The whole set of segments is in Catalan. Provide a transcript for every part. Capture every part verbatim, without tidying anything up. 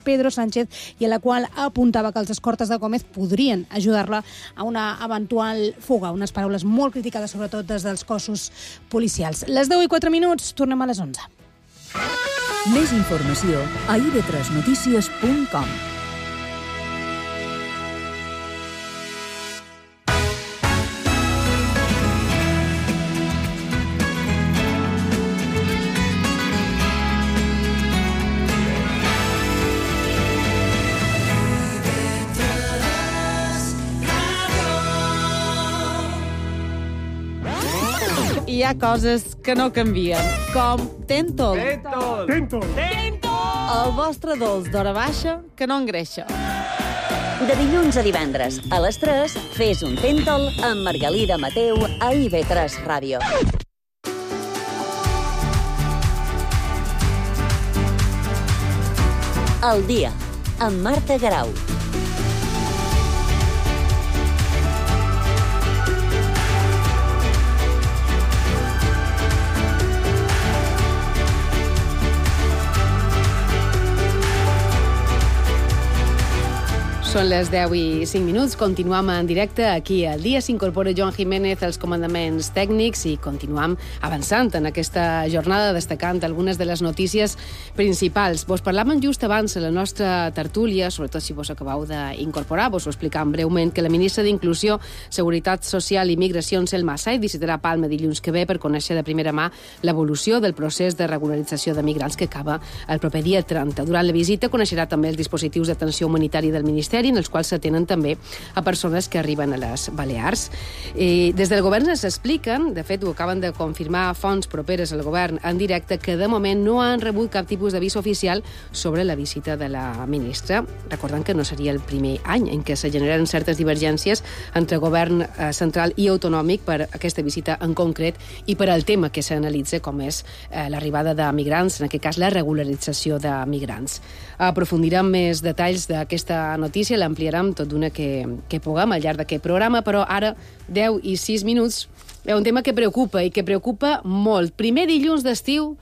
Pedro Sánchez i a la qual apuntava que els escortes de Gómez podrien ajudar-la a una eventual fuga. Unes paraules molt criticades, sobretot des dels cossos policials. Les deu i quatre minuts, tornem a les onze. Més informació a i ve tres notícies punt com. Hi ha coses que no canvien, com Tentol. Tentol! Tentol! Tentol! El vostre dolç d'hora baixa que no engreixa. De dilluns a divendres, a les tres, fes un Tentol amb Margalida Mateu a i ve tres Ràdio. El dia, amb Marta Garau. Són les deu i cinc minuts, continuam en directe aquí al dia. S'incorpora Joan Jiménez als comandaments tècnics i continuam avançant en aquesta jornada, destacant algunes de les notícies principals. Vos parlàvem just abans a la nostra tertúlia, sobretot si vos acabeu d'incorporar, vos ho explicàvem breument, que la ministra d'Inclusió, Seguretat Social i Migracions, Selma Said, visitarà Palma dilluns que ve per conèixer de primera mà l'evolució del procés de regularització de migrants que acaba el proper dia trenta. Durant la visita coneixerà també els dispositius d'atenció humanitària del Ministeri, en els quals s'atenen també a persones que arriben a les Balears. I des del govern s'expliquen, de fet ho acaben de confirmar fonts properes al govern en directe, que de moment no han rebut cap tipus d'avís oficial sobre la visita de la ministra, recordant que no seria el primer any en què se generen certes divergències entre govern central i autonòmic per aquesta visita en concret i per al tema que s'analitza, com és eh, l'arribada de migrants, en aquest cas la regularització de migrants. Aprofundirem més detalls d'aquesta notícia, l'ampliarem tot d'una que, que puguem al llarg d'aquest programa, però ara, deu i sis minuts, és un tema que preocupa i que preocupa molt. Primer dilluns d'estiu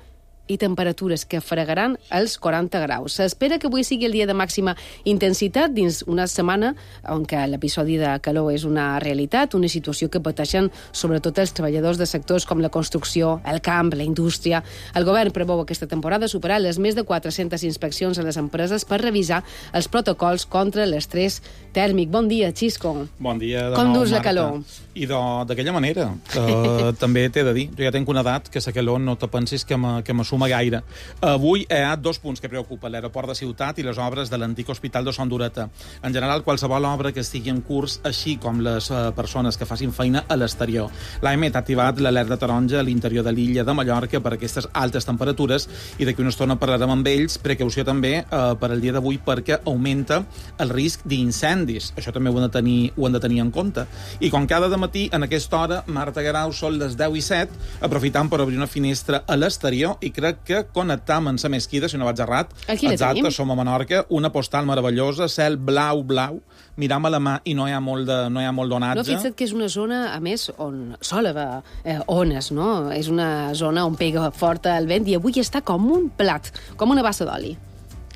i temperatures que fregaran els quaranta graus. S'espera que avui sigui el dia de màxima intensitat dins una setmana on l'episodi de calor és una realitat, una situació que pateixen sobretot els treballadors de sectors com la construcció, el camp, la indústria. El govern preveu aquesta temporada superar les més de quatre-centes inspeccions a les empreses per revisar els protocols contra l'estrès tèrmic. Bon dia, Xisco. Bon dia de Com nou, dus la Marta. calor? I d'aquella manera. Uh, també t'he de dir, jo ja tenc una edat que la calor no te pensis que me, que me suma gaire. Avui hi ha dos punts que preocupen, l'aeroport de Ciutat i les obres de l'antic hospital de Son Dureta. En general, qualsevol obra que estigui en curs, així com les uh, persones que facin feina a l'exterior. L'A M ha activat l'alerta taronja a l'interior de l'illa de Mallorca per aquestes altes temperatures i d'aquí una estona parlarem amb ells. Precaució també uh, per al dia d'avui perquè augmenta el risc d'incendis. Això també ho hem de tenir, ho hem de tenir en compte. I com cada matí, en aquesta hora, Marta Garau, són les deu i set, aprofitant per obrir una finestra a l'exterior i crec que connectam amb la mesquida, si no vaig errat. Aquí la Exacte, tenim. som a Menorca, una postal meravellosa, cel blau, blau, miram a la mà i no hi ha molt de, no hi ha molt d'onatge. No, fixa't que és una zona, a més, on sol haver eh, ones, no? És una zona on pega fort el vent i avui està com un plat, com una bassa d'oli.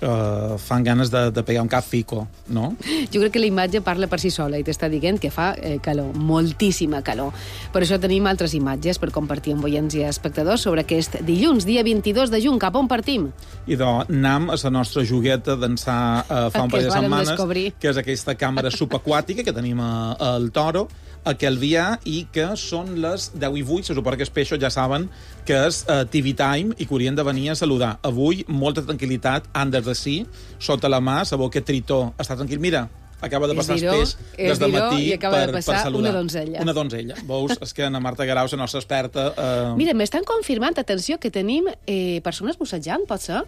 Uh, fan ganes de, de pegar un cap fico, no? Jo crec que la imatge parla per si sola i t'està dient que fa eh, calor, moltíssima calor. Per això tenim altres imatges per compartir amb oients i espectadors sobre aquest dilluns, dia vint-i-dos de juny. Cap on partim? I doncs anam a la nostra jogueta d'ençà uh, fa un Que parell de es varen setmanes, descobrir. que és aquesta càmera subaquàtica que tenim a, al Toro, a Calvià, i que són les deu i vuit, se suposa que els peixos ja saben que és uh, T V Time i que haurien de venir a saludar. Avui, molta tranquil·litat, han de sí, sota la mà, sabeu que Tritó està tranquil. Mira, acaba de passar el peix des de matí i acaba per, de passar per saludar. una donzella. Una donzella. Veus? És que na Marta Garau, la nostra experta... Eh... Mira, m'estan confirmant, atenció, que tenim eh, persones bussejant, pot ser?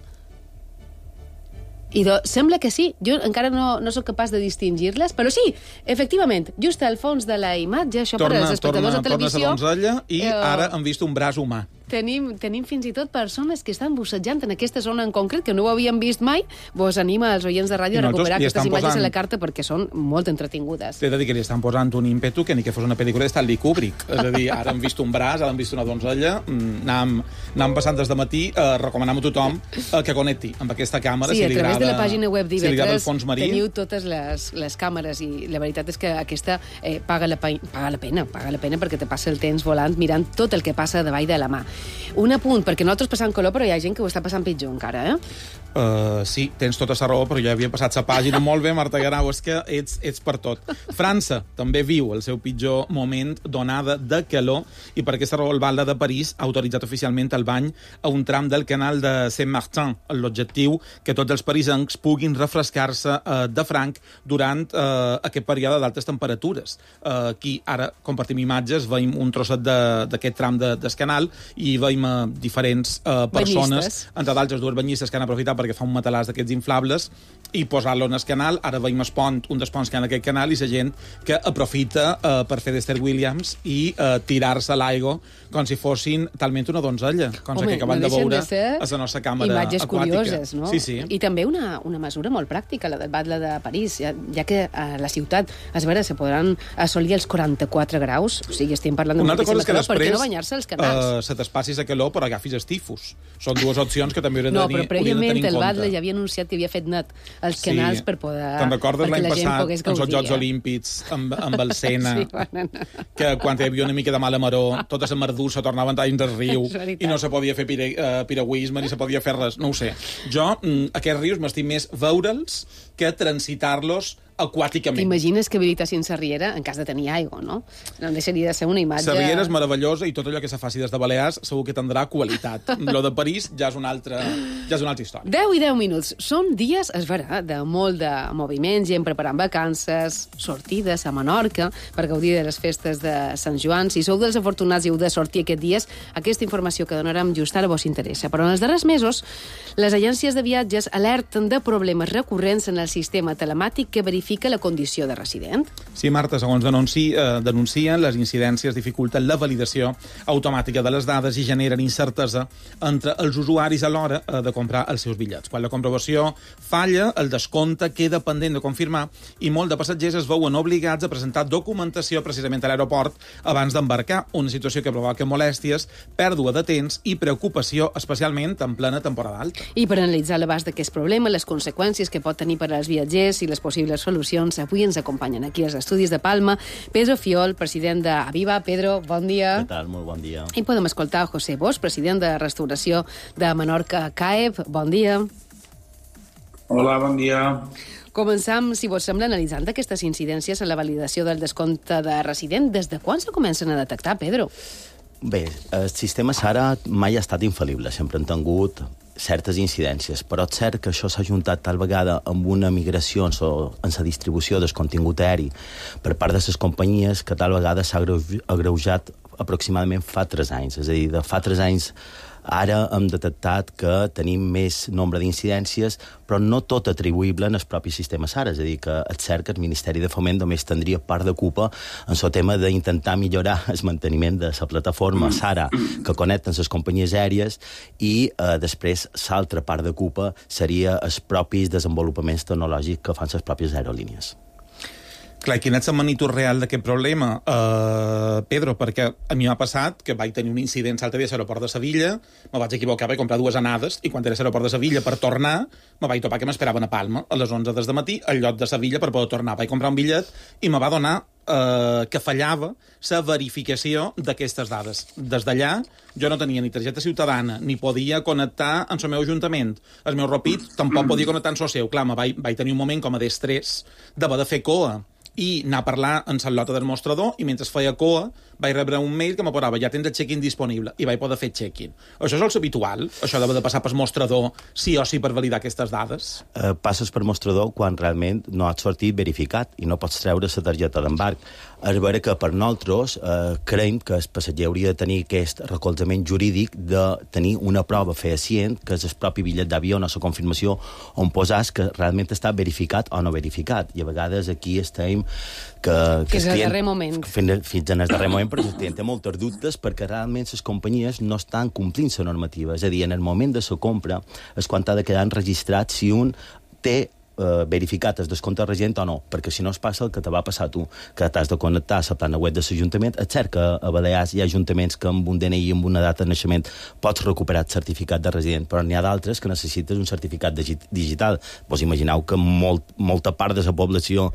I do, sembla que sí. Jo encara no, no sóc capaç de distingir-les, però sí, efectivament, just al fons de la imatge, això torna, per als espectadors torna, de televisió... Torna a la donzella i eh, ara hem vist un braç humà. tenim, tenim fins i tot persones que estan bussejant en aquesta zona en concret, que no ho havien vist mai. Vos anima als oients de ràdio a recuperar aquestes imatges posant... a la carta perquè són molt entretingudes. T'he de dir que li estan posant un ímpetu que ni que fos una pel·lícula de Stanley Kubrick. És a dir, ara hem vist un braç, ara hem vist una donzella, anàvem, anàvem passant des de matí, eh, recomanem a tothom eh, que connecti amb aquesta càmera. Sí, si a li través agrada, de la pàgina web d'I V tres si teniu totes les, les càmeres i la veritat és que aquesta eh, paga, la, paga la pena, paga la pena perquè te passa el temps volant mirant tot el que passa davall de la mà. Un apunt, perquè nosaltres passam color, però hi ha gent que ho està passant pitjor encara, eh? Uh, sí, tens tota la raó, però ja havia passat la pàgina molt bé, Marta Guerau, és que ets, ets per tot. França també viu el seu pitjor moment d'onada de calor i per aquesta raó el Valde de París ha autoritzat oficialment el bany a un tram del canal de Saint-Martin, amb l'objectiu que tots els parisencs puguin refrescar-se uh, de franc durant uh, aquest període d'altes temperatures. Uh, aquí ara compartim imatges, veiem un trosset d'aquest tram de, del canal i veiem uh, diferents uh, persones, banyistes. Entre d'altres dues banyistes que han aprofitat perquè fa un matalàs d'aquests inflables i posar-lo en el canal. Ara veiem el pont, un dels ponts que hi ha en aquest canal i la gent que aprofita uh, per fer d'Esther Williams i uh, tirar-se a l'aigua com si fossin talment una donzella, com Home, que acabem no de veure de a la nostra càmera imatges aquàtica. Curioses, no? Sí, sí. I també una, una mesura molt pràctica, la del Batlle de París, ja, ja que a la ciutat, a veure, se podran assolir els quaranta-quatre graus, o sigui, estem parlant de moltíssima calor, per què no banyar-se als canals? Uh, se t'espassis a calor, però agafis els tifus. Són dues opcions que també haurem no, de tenir, però prèviament tenir en el compte. Batlle ja havia anunciat que havia fet net els canals sí. per poder... Te'n recordes l'any passat, en els Jocs eh? Olímpics, amb, amb el Sena, sí, bueno, no. que quan hi havia una mica de mala maró, tota la mardussa tornaven talls del riu i no se podia fer pire, uh, piragüisme ni se podia fer res, no ho sé. Jo, mm, aquests rius m'estic més veure'ls que transitar-los aquàticament. T'imagines que habilitassin la riera en cas de tenir aigua, no? No deixaria de ser una imatge... La riera és meravellosa i tot allò que se faci des de Balears segur que tindrà qualitat. Lo de París ja és una altra, ja és una altra història. deu i deu minuts. Són dies, es verà, de molt de moviment, gent preparant vacances, sortides a Menorca per gaudir de les festes de Sant Joan. Si sou dels afortunats i heu de sortir aquests dies, aquesta informació que donarem just ara vos interessa. Però en els darrers mesos, les agències de viatges alerten de problemes recurrents en el sistema telemàtic que verifica la condició de resident. Sí, Marta, segons denunci, eh, denuncien, les incidències dificulten la validació automàtica de les dades i generen incertesa entre els usuaris a l'hora eh, de comprar els seus bitllets. Quan la comprovació falla, el descompte queda pendent de confirmar i molt de passatgers es veuen obligats a presentar documentació precisament a l'aeroport abans d'embarcar, una situació que provoca molèsties, pèrdua de temps i preocupació, especialment en plena temporada alta. I per analitzar l'abast d'aquest problema, les conseqüències que pot tenir per als viatgers i les possibles solucions, avui ens acompanyen aquí als estudis de Palma Pedro Fiol, president d'Aviva. Pedro, bon dia. Què tal? Molt bon dia. I podem escoltar José Bosch, president de Restauració de Menorca C A E P. Bon dia. Hola, bon dia. Començam, si vos sembla, analitzant aquestes incidències en la validació del descompte de resident. Des de quan se comencen a detectar, Pedro? Bé, el sistema SARA mai ha estat infal·lible. Sempre han tingut certes incidències, però és cert que això s'ha juntat tal vegada amb una migració en la distribució del contingut aeri per part de les companyies que tal vegada s'ha agreujat aproximadament fa tres anys. És a dir, de fa tres anys ara hem detectat que tenim més nombre d'incidències, però no tot atribuïble en el propi sistema SARA. És a dir, que és cert que el Ministeri de Foment només tindria part de culpa en el tema d'intentar millorar el manteniment de la plataforma SARA que connecten les companyies aèries i eh, després l'altra part de culpa seria els propis desenvolupaments tecnològics que fan les pròpies aerolínies. Clar, quina és la magnitud real d'aquest problema, uh, Pedro? Perquè a mi m'ha passat que vaig tenir un incident l'altre dia a l'aeroport de Sevilla, me vaig equivocar, vaig comprar dues anades, i quan era a l'aeroport de Sevilla per tornar, me vaig topar que m'esperaven a Palma a les onze des de matí, al lloc de Sevilla per poder tornar. Vaig comprar un bitllet i me va donar uh, que fallava la verificació d'aquestes dades. Des d'allà, jo no tenia ni targeta ciutadana, ni podia connectar amb el meu ajuntament. El meu Rapid tampoc podia connectar amb el seu. Clar, me vaig, vaig tenir un moment com a d'estrès d'haver de fer coa i anar a parlar en la lota del mostrador i mentre feia coa vaig rebre un mail que m'aporava ja tens el check-in disponible i vaig poder fer check-in. Això és el habitual? Això d'haver de passar per mostrador sí o sí per validar aquestes dades? Eh, passes per mostrador quan realment no has sortit verificat i no pots treure la targeta d'embarc. És vera que per nosaltres eh, creiem que el passatger hauria de tenir aquest recolzament jurídic de tenir una prova fehacient, que és el propi bitllet d'avió o la confirmació on posàs que realment està verificat o no verificat. I a vegades aquí estem tenim que... que fins al darrer moment. Fins, fins en el darrer moment, perquè el client té molts dubtes perquè realment les companyies no estan complint la normativa. És a dir, en el moment de la compra és quan ha de quedar enregistrat si un té eh, verificat el descompte resident o no, perquè si no es passa el que te va passar tu, que t'has de connectar a la plana web de l'Ajuntament. És cert que a Balears hi ha ajuntaments que amb un D N I i amb una data de naixement pots recuperar el certificat de resident, però n'hi ha d'altres que necessites un certificat digital. Vos imagineu que molt, molta part de la població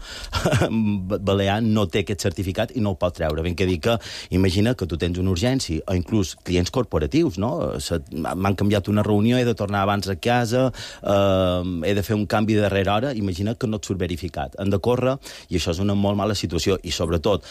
balear no té aquest certificat i no el pot treure. Ben que dir que, imagina que tu tens una urgència, o inclús clients corporatius, no? M'han canviat una reunió, he de tornar abans a casa, eh, he de fer un canvi de darrere hora, imagina que no et surt verificat. Han de córrer, i això és una molt mala situació. I sobretot,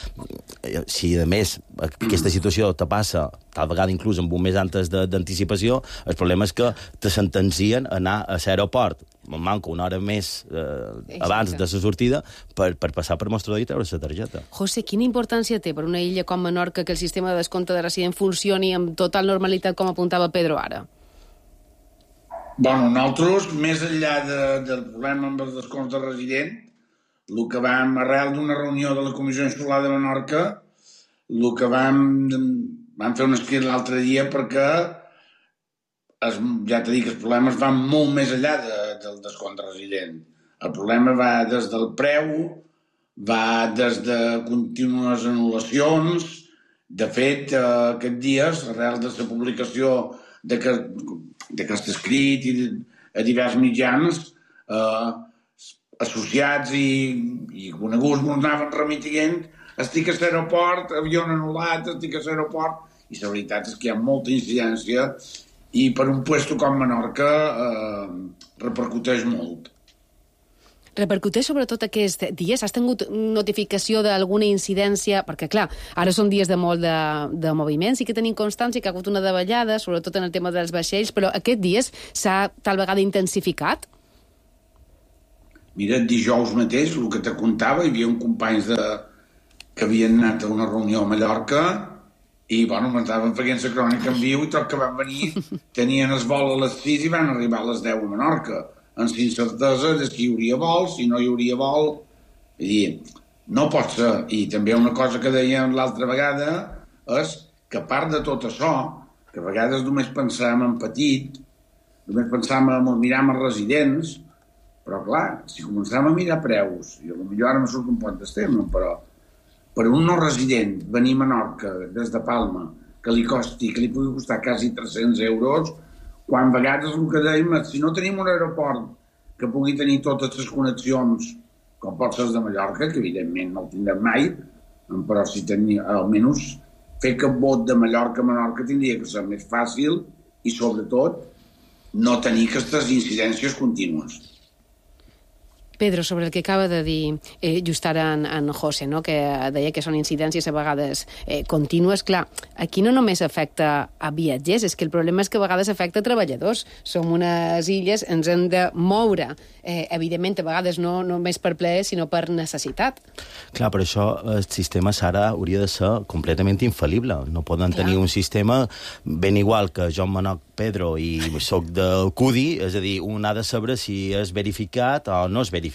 si a més aquesta situació te passa tal vegada inclús amb un mes antes d'anticipació, el problema és que te sentencien a anar a l'aeroport, manca una hora més eh, abans de la sortida per, per passar per mostrador i treure la targeta. José, quina importància té per una illa com Menorca que el sistema de descompte de resident funcioni amb total normalitat, com apuntava Pedro ara? Bueno, nosaltres, més enllà de, del problema amb els descomptes de resident, el que vam, arrel d'una reunió de la Comissió Insular de Menorca, el que vam, vam fer un escrit l'altre dia perquè es, ja t'he dit que els problemes van molt més enllà de, del descompte resident. El problema va des del preu, va des de contínues anul·lacions. De fet, eh, aquests dies, arrel de la publicació d'aquest escrit i a diversos mitjans, eh, associats i, i coneguts ens anaven remitint, estic a l'aeroport, avió anul·lat, estic a l'aeroport, i la veritat és que hi ha molta incidència i per un puesto com Menorca eh, repercuteix molt. Repercuteix sobretot aquests dies? Has tingut notificació d'alguna incidència? Perquè, clar, ara són dies de molt de, de moviment, sí que tenim constància que ha hagut una davallada, sobretot en el tema dels vaixells, però aquests dies s'ha tal vegada intensificat? Mira, dijous mateix, el que te contava, hi havia un companys de... que havien anat a una reunió a Mallorca i, bueno, m'estaven fent la crònica en viu i tot que van venir, tenien el vol a les sis i van arribar a les deu a Menorca, amb incertesa de si hi hauria vol, si no hi hauria vol. Vull dir, no pot ser. I també una cosa que dèiem l'altra vegada és que a part de tot això, que a vegades només pensàvem en petit, només pensàvem en mirar amb els residents, però clar, si començàvem a mirar preus, i potser ara me surt un poc d'estem, però per un no resident venir a Menorca des de Palma, que li costi, que li pugui costar quasi tres-cents euros, quan a vegades el que dèiem és si no tenim un aeroport que pugui tenir totes les connexions, com pot ser de Mallorca, que evidentment no el tindrem mai, però si tenia, almenys fer que vot de Mallorca a Menorca tindria que ser més fàcil i, sobretot, no tenir aquestes incidències contínues. Pedro, sobre el que acaba de dir eh, just ara en, en José, no? Que deia que són incidències a vegades eh, contínues. Clar, aquí no només afecta a viatgers, és que el problema és que a vegades afecta a treballadors. Som unes illes, ens hem de moure, eh, evidentment, a vegades no només per plaer, sinó per necessitat. Clar, per això el sistema Sara hauria de ser completament infal·lible. No poden Clar. tenir un sistema ben igual que jo em menoc Pedro i soc del C U D I, és a dir, un ha de saber si és verificat o no és verificat.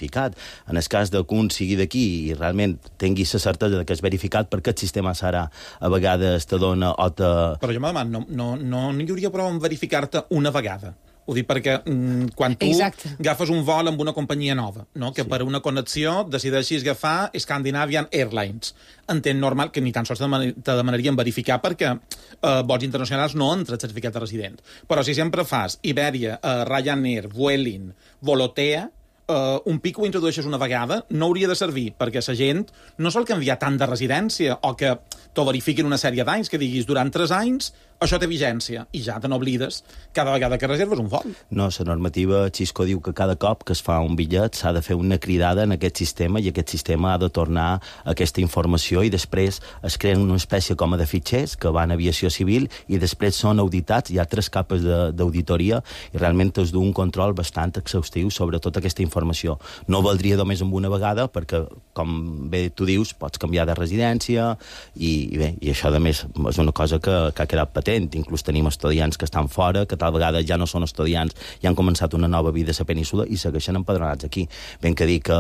En el cas que un sigui d'aquí i realment tingui la certesa que és verificat, perquè el sistema Sara a vegades te dona o te... Però jo me demano, no, no, no hi hauria prou en verificar-te una vegada? Ho dic perquè mm, quan tu Exacte. agafes un vol amb una companyia nova, no? Que sí. per una connexió decideixis agafar Scandinavian Airlines. Entenc normal que ni tan sols te demanarien verificar perquè eh, vols internacionals no entra el certificat de resident. Però si sempre fas Iberia, eh, Ryanair, Vueling, Volotea, Uh, un pic ho introdueixes una vegada, no hauria de servir, perquè la gent no sol canviar tant de residència o que t'ho verifiquin una sèrie d'anys, que diguis durant tres anys això té vigència, i ja te n'oblides cada vegada que reserves un vol. No, la normativa Xisco diu que cada cop que es fa un bitllet s'ha de fer una cridada en aquest sistema i aquest sistema ha de tornar aquesta informació i després es creen una espècie com a de fitxers que van a aviació civil i després són auditats, hi ha tres capes d'auditoria i realment es du un control bastant exhaustiu sobre tota aquesta informació. No valdria només amb una vegada perquè, com bé tu dius, pots canviar de residència i, i bé, i això a més és una cosa que, que ha quedat patent. s'entén. Inclús tenim estudiants que estan fora, que tal vegada ja no són estudiants i han començat una nova vida a la península i segueixen empadronats aquí. Ben que dir que,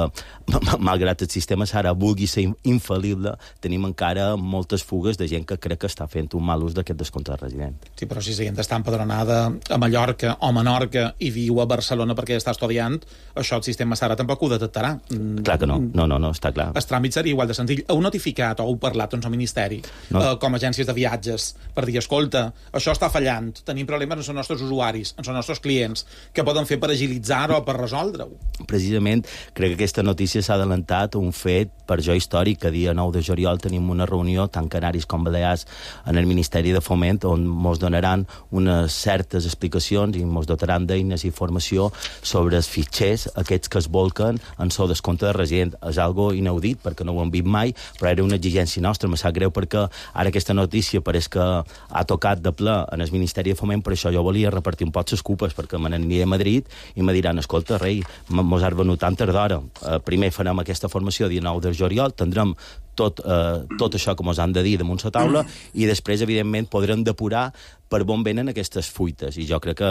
malgrat el sistema Sara vulgui ser infal·lible, tenim encara moltes fugues de gent que crec que està fent un mal ús d'aquest descompte de resident. Sí, però si la gent està empadronada a Mallorca o a Menorca i viu a Barcelona perquè està estudiant, això el sistema Sara tampoc ho detectarà. Clar que no, no, no, no està clar. El tràmit seria igual de senzill. Heu notificat o heu parlat doncs, al Ministeri, no. eh, com a agències de viatges, per dir, escolta, això està fallant, tenim problemes amb els nostres usuaris, amb els nostres clients, què poden fer per agilitzar-ho o per resoldre-ho? Precisament, crec que aquesta notícia s'ha adelantat un fet per jo històric, que dia nou de juliol tenim una reunió, tant Canaris com Balears, en el Ministeri de Foment, on mos donaran unes certes explicacions i mos dotaran d'eines i informació sobre els fitxers, aquests que es volquen en el descompte de resident. És algo inaudit, perquè no ho hem vist mai, però era una exigència nostra. Me sap greu perquè ara aquesta notícia pareix que ha tocat de ple en el Ministeri de Foment, per això jo volia repartir un poc les culpes, perquè me n'aniré a Madrid i me diran, escolta, rei, mos has venut tant d'hora. Eh, primer farem aquesta formació dia nou de juliol, tindrem tot, eh, tot això que mos han de dir damunt la taula i després, evidentment, podrem depurar per on venen aquestes fuites. I jo crec que,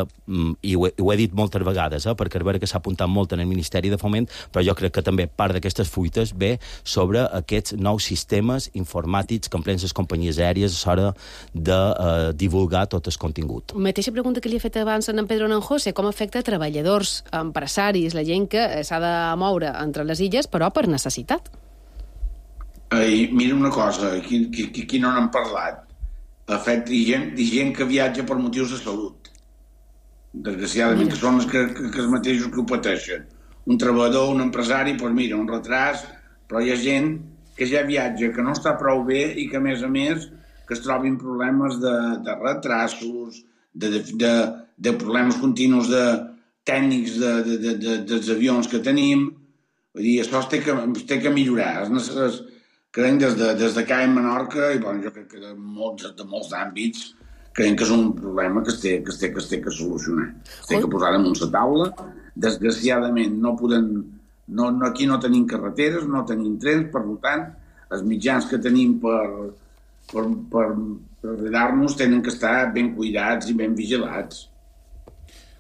i ho he, ho he dit moltes vegades, eh, perquè és vera que s'ha apuntat molt en el Ministeri de Foment, però jo crec que també part d'aquestes fuites ve sobre aquests nous sistemes informàtics que empren les companyies aèries a l'hora de eh, divulgar tot el contingut. Mateixa pregunta que li he fet abans a en Pedro Nanjose, com afecta treballadors, empresaris, la gent que s'ha de moure entre les illes, però per necessitat? Ai, mira una cosa, aquí, aquí, aquí no n'hem parlat. De fet, hi ha gent, hi ha gent que viatja per motius de salut. Desgraciadament, que són els que, que, que els mateixos que ho pateixen. Un treballador, un empresari, doncs mira, un retras, però hi ha gent que ja viatja, que no està prou bé i que, a més a més, que es trobin problemes de, de retrasos, de, de, de, de problemes continus de tècnics de, de, de, de, dels avions que tenim. Vull dir, això es té que, es té que millorar. És necessari. Crec des de, des de C A E en Menorca, i bueno, jo crec que de molts, de molts àmbits, crec que és un problema que es té que, es té, que, es té que solucionar. Es té que posar damunt la taula. Desgraciadament, no podem, no, no, aquí no tenim carreteres, no tenim trens, per tant, els mitjans que tenim per, per, per, per ajudar-nos tenen que estar ben cuidats i ben vigilats.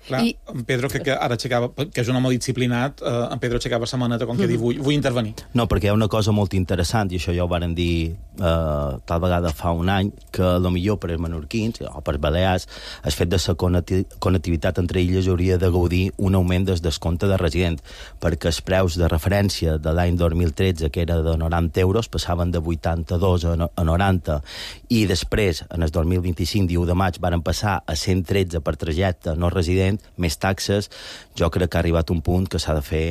Clar, I... en Pedro, que, que ara aixecava, que és un home disciplinat, eh, en Pedro aixecava la maneta com que mm. diu, vull, vull intervenir. No, perquè hi ha una cosa molt interessant, i això ja ho varen dir eh, tal vegada fa un any, que lo millor per als menorquins o per Balears, el fet de la connectivitat entre illes hauria de gaudir un augment del descompte de resident, perquè els preus de referència de l'any dos mil tretze, que era de noranta euros, passaven de vuitanta-dos a noranta, i després, en el dos mil vint-i-cinc, dia u de maig, varen passar a cent tretze per trajecte no resident, més taxes. Jo crec que ha arribat un punt que s'ha de fer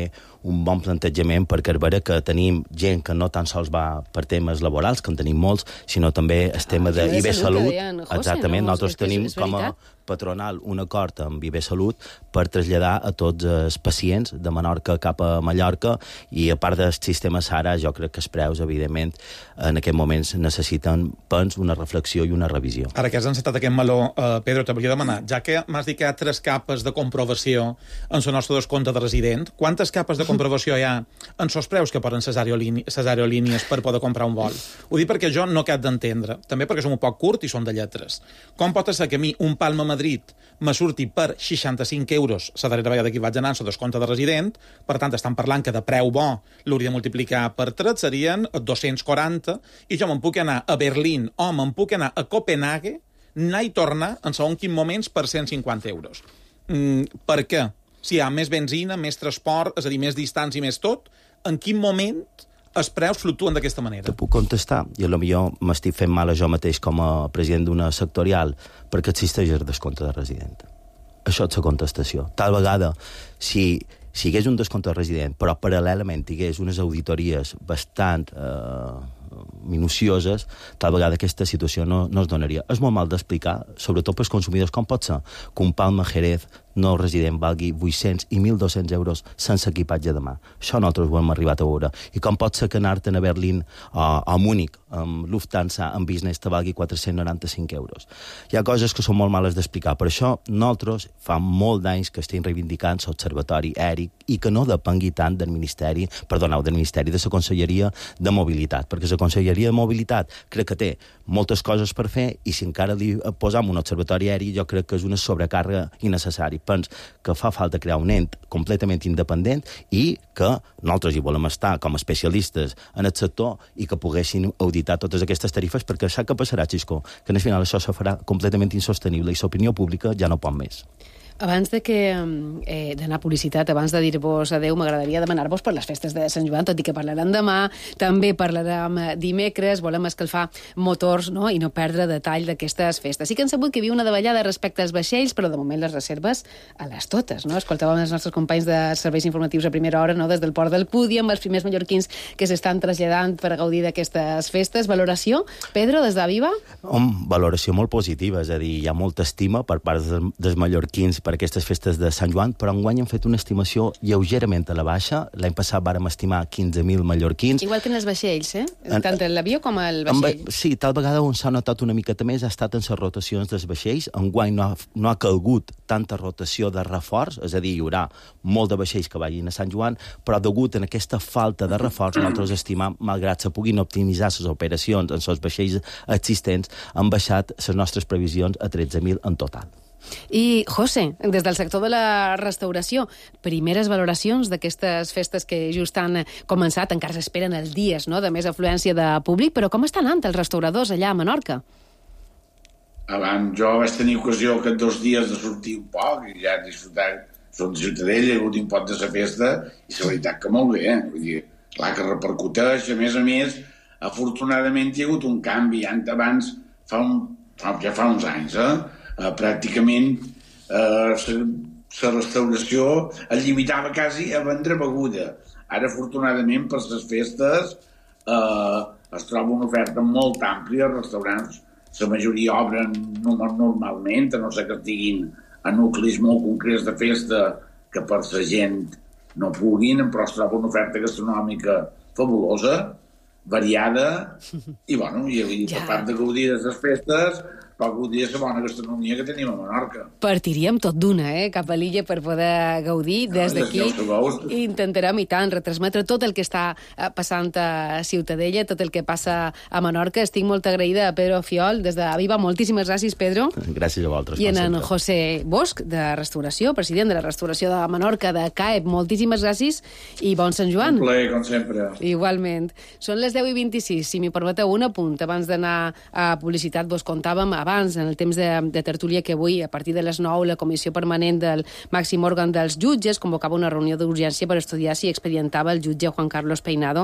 un bon plantejament, perquè és vera que tenim gent que no tan sols va per temes laborals, que en tenim molts, sinó també el tema ah, d'I B Salut. Deien, José, exactament, no? nosaltres tenim com a patronal un acord amb I B Salut per traslladar a tots els pacients de Menorca cap a Mallorca, i a part del sistema Sara, jo crec que els preus, evidentment, en aquests moments necessiten, pens, una reflexió i una revisió. Ara que has encetat aquest meló, eh, Pedro, te volia demanar, ja que m'has dit que hi ha tres capes de comprovació en el nostre descompte de resident, quantes capes de comprovació hi ha en els preus que poden les aerolínies per poder comprar un vol? Ho dic perquè jo no cap d'entendre, també perquè som un poc curt i són de lletres. Com pot ser que a mi un Palma Madrid me surti per seixanta-cinc euros la darrera vegada que vaig anar en el descompte de resident, per tant estan parlant que de preu bo l'hauria de multiplicar per tres, serien dos-cents quaranta, i jo me'n puc anar a Berlín o me'n puc anar a Copenhague, anar i tornar en segons quins moments per cent cinquanta euros. Mm, per què? Si hi ha més benzina, més transport, és a dir, més distància i més tot, en quin moment els preus fluctuen d'aquesta manera? Te puc contestar, i potser m'estic fent mal a jo mateix com a president d'una sectorial, perquè existeix el descompte de resident. Això és la contestació. Tal vegada, si, si hi hagués un descompte de resident, però paral·lelament hi hagués unes auditories bastant eh, minucioses, tal vegada aquesta situació no, no es donaria. És molt mal d'explicar, sobretot pels consumidors, com pot ser que un Palma Jerez no resident valgui vuit-cents i mil dos-cents euros sense equipatge de mà. Això nosaltres ho hem arribat a veure. I com pot ser que anar-te'n a Berlín o a Múnich amb Lufthansa en business te valgui quatre-cents noranta-cinc euros. Hi ha coses que són molt males d'explicar. Per això nosaltres fa molt d'anys que estem reivindicant l'Observatori Aeri i que no depengui tant del Ministeri, perdoneu, del Ministeri de la Conselleria de Mobilitat, perquè la Conselleria de Mobilitat crec que té moltes coses per fer i si encara li posam un observatori aeri jo crec que és una sobrecàrrega innecessària. Pens que fa falta crear un ent completament independent i que nosaltres hi volem estar com a especialistes en el sector i que poguessin auditar totes aquestes tarifes perquè sap què passarà, Xisco? Que al final això se farà completament insostenible i l'opinió pública ja no pot més. Abans de que eh, d'anar a publicitat, abans de dir-vos adeu, m'agradaria demanar-vos per les festes de Sant Joan, tot i que parlarem demà, també parlarem dimecres, volem escalfar motors, no?, i no perdre detall d'aquestes festes. Sí que hem sabut que hi havia una davallada respecte als vaixells, però de moment les reserves a les totes, no? Escoltàvem els nostres companys de serveis informatius a primera hora, no?, des del port del Pudi, amb els primers mallorquins que s'estan traslladant per gaudir d'aquestes festes. Valoració, Pedro, des d'Aviva? Home, valoració molt positiva, és a dir, hi ha molta estima per part dels, dels mallorquins per aquestes festes de Sant Joan, però enguany hem fet una estimació lleugerament a la baixa. L'any passat vàrem estimar quinze mil mallorquins. Igual que en els vaixells, eh? En, Tant en l'avió com el vaixell. En, sí, tal vegada on s'ha notat una miqueta més ha estat en les rotacions dels vaixells. Enguany no ha, no ha calgut tanta rotació de reforç, és a dir, hi haurà molt de vaixells que vagin a Sant Joan, però degut a aquesta falta de reforç, nosaltres estimam, malgrat se puguin optimitzar les operacions en els vaixells existents, han baixat les nostres previsions a tretze mil en total. I, José, des del sector de la restauració, primeres valoracions d'aquestes festes que just han començat, encara s'esperen els dies, no?, de més afluència de públic, però com estan anant els restauradors allà a Menorca? Abans jo vaig tenir ocasió aquests dos dies de sortir un poc i ja disfrutar. Som de Ciutadella, he hagut un pot de la festa i la veritat que molt bé, eh? Vull dir, clar que repercuteix, a més a més, afortunadament hi ha hagut un canvi. Abans, fa un, fa, ja fa uns anys, eh? Uh, pràcticament uh, la restauració es limitava quasi a vendre beguda. Ara, afortunadament, per les festes uh, es troba una oferta molt àmplia. Els restaurants, la majoria obren normalment, a no ser que estiguin a nuclis molt concrets de festa que per la gent no puguin, però es troba una oferta gastronòmica fabulosa, variada, i, bueno, i, i per part de gaudir de les festes, però gaudir de la bona gastronomia que tenim a Menorca. Partiríem tot d'una, eh?, cap a l'illa per poder gaudir. Des d'aquí intentarem, i tant, retransmetre tot el que està passant a Ciutadella, tot el que passa a Menorca. Estic molt agraïda a Pedro Fiol, des de Aviva. Moltíssimes gràcies, Pedro. Gràcies a vosaltres. I en, en José Bosch, de Restauració, president de la Restauració de Menorca, de C A E P. Moltíssimes gràcies i bon Sant Joan. Un plaer, com sempre. Igualment. Són les deu i vint-i-sis. Si m'hi permeteu un apunt, abans d'anar a publicitat, vos contàvem abans, en el temps de, de tertúlia, que avui, a partir de les nou, la Comissió Permanent del màxim òrgan dels jutges convocava una reunió d'urgència per estudiar si expedientava el jutge Juan Carlos Peinado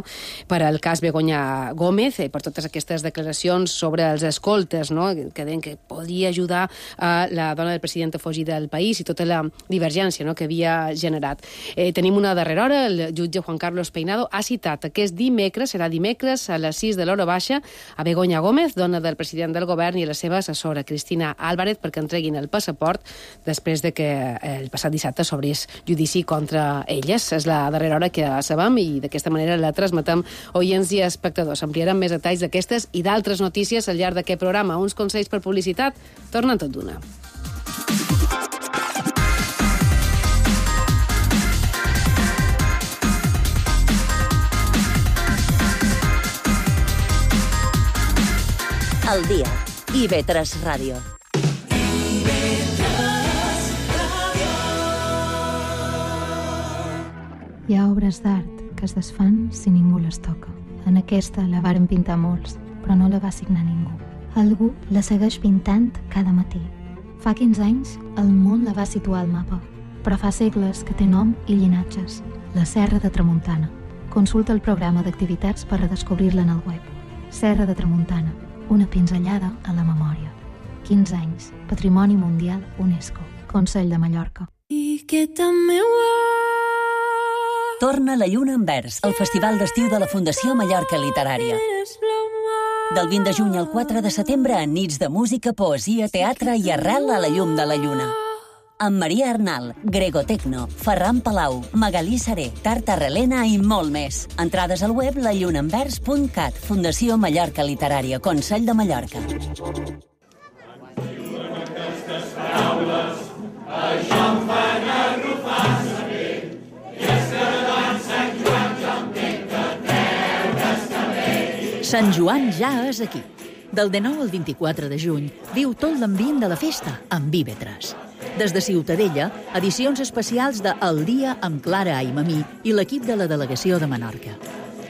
per al cas Begoña Gómez, eh, per totes aquestes declaracions sobre els escoltes, no?, que deien que podria ajudar a la dona del president a fugir del país i tota la divergència, no?, que havia generat. Eh, tenim una darrera hora. El jutge Juan Carlos Peinado ha citat aquest dimecres, serà dimecres a les sis de l'hora baixa, a Begoña Gómez, dona del president del govern, i a la seva assessora, Cristina Álvarez, perquè entreguin el passaport després de que el passat dissabte s'obrís judici contra elles. És la darrera hora que sabem i d'aquesta manera la transmetem oients i espectadors. Ampliarem més detalls d'aquestes i d'altres notícies al llarg d'aquest programa. Uns consells per publicitat tornen tot d'una. El dia. I ve tres Ràdio. Hi ha obres d'art que es desfan si ningú les toca. En aquesta la varen pintar molts, però no la va signar ningú. Algú la segueix pintant cada matí. Fa quinze anys, el món la va situar al mapa, però fa segles que té nom i llinatges. La Serra de Tramuntana. Consulta el programa d'activitats per redescobrir-la en el web. Serra de Tramuntana, una pinzellada a la memòria. quinze anys, Patrimoni Mundial UNESCO, Consell de Mallorca. I que també Torna la Lluna en Vers, el festival d'estiu de la Fundació Mallorca Literària. Del vint de juny al quatre de setembre, en nits de música, poesia, teatre i arrel a la llum de la lluna. amb Maria Arnal, Gregotecno, Ferran Palau, Magalí Saré, Tarta Relena i molt més. Entrades al web la lluna envers punt cat, Fundació Mallorca Literària, Consell de Mallorca. Sant Joan ja és aquí. Del dinou al vint-i-quatre de juny viu tot l'ambient de la festa amb I V tres. Des de Ciutadella, edicions especials de El dia amb Clara Aimamí i l'equip de la delegació de Menorca.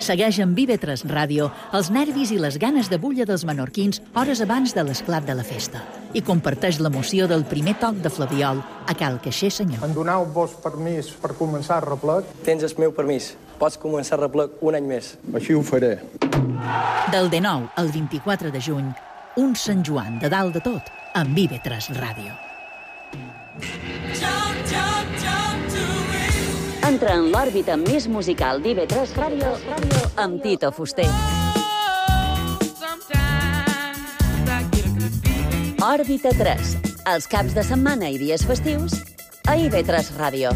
Segueix amb I V tres Ràdio els nervis i les ganes de bulla dels menorquins hores abans de l'esclat de la festa i comparteix l'emoció del primer toc de Flabiol a Cal Caixer Senyor. Em doneu-vos permís per començar el replec? Tens el meu permís. Pots començar el replec un any més. Així ho faré. Del dinou al vint-i-quatre de juny, un Sant Joan de dalt de tot amb I V tres Ràdio. Entra en l'òrbita més musical d'I V tres Ràdio amb Tito Fuster. Òrbita tres, els caps de setmana i dies festius a I V tres Ràdio.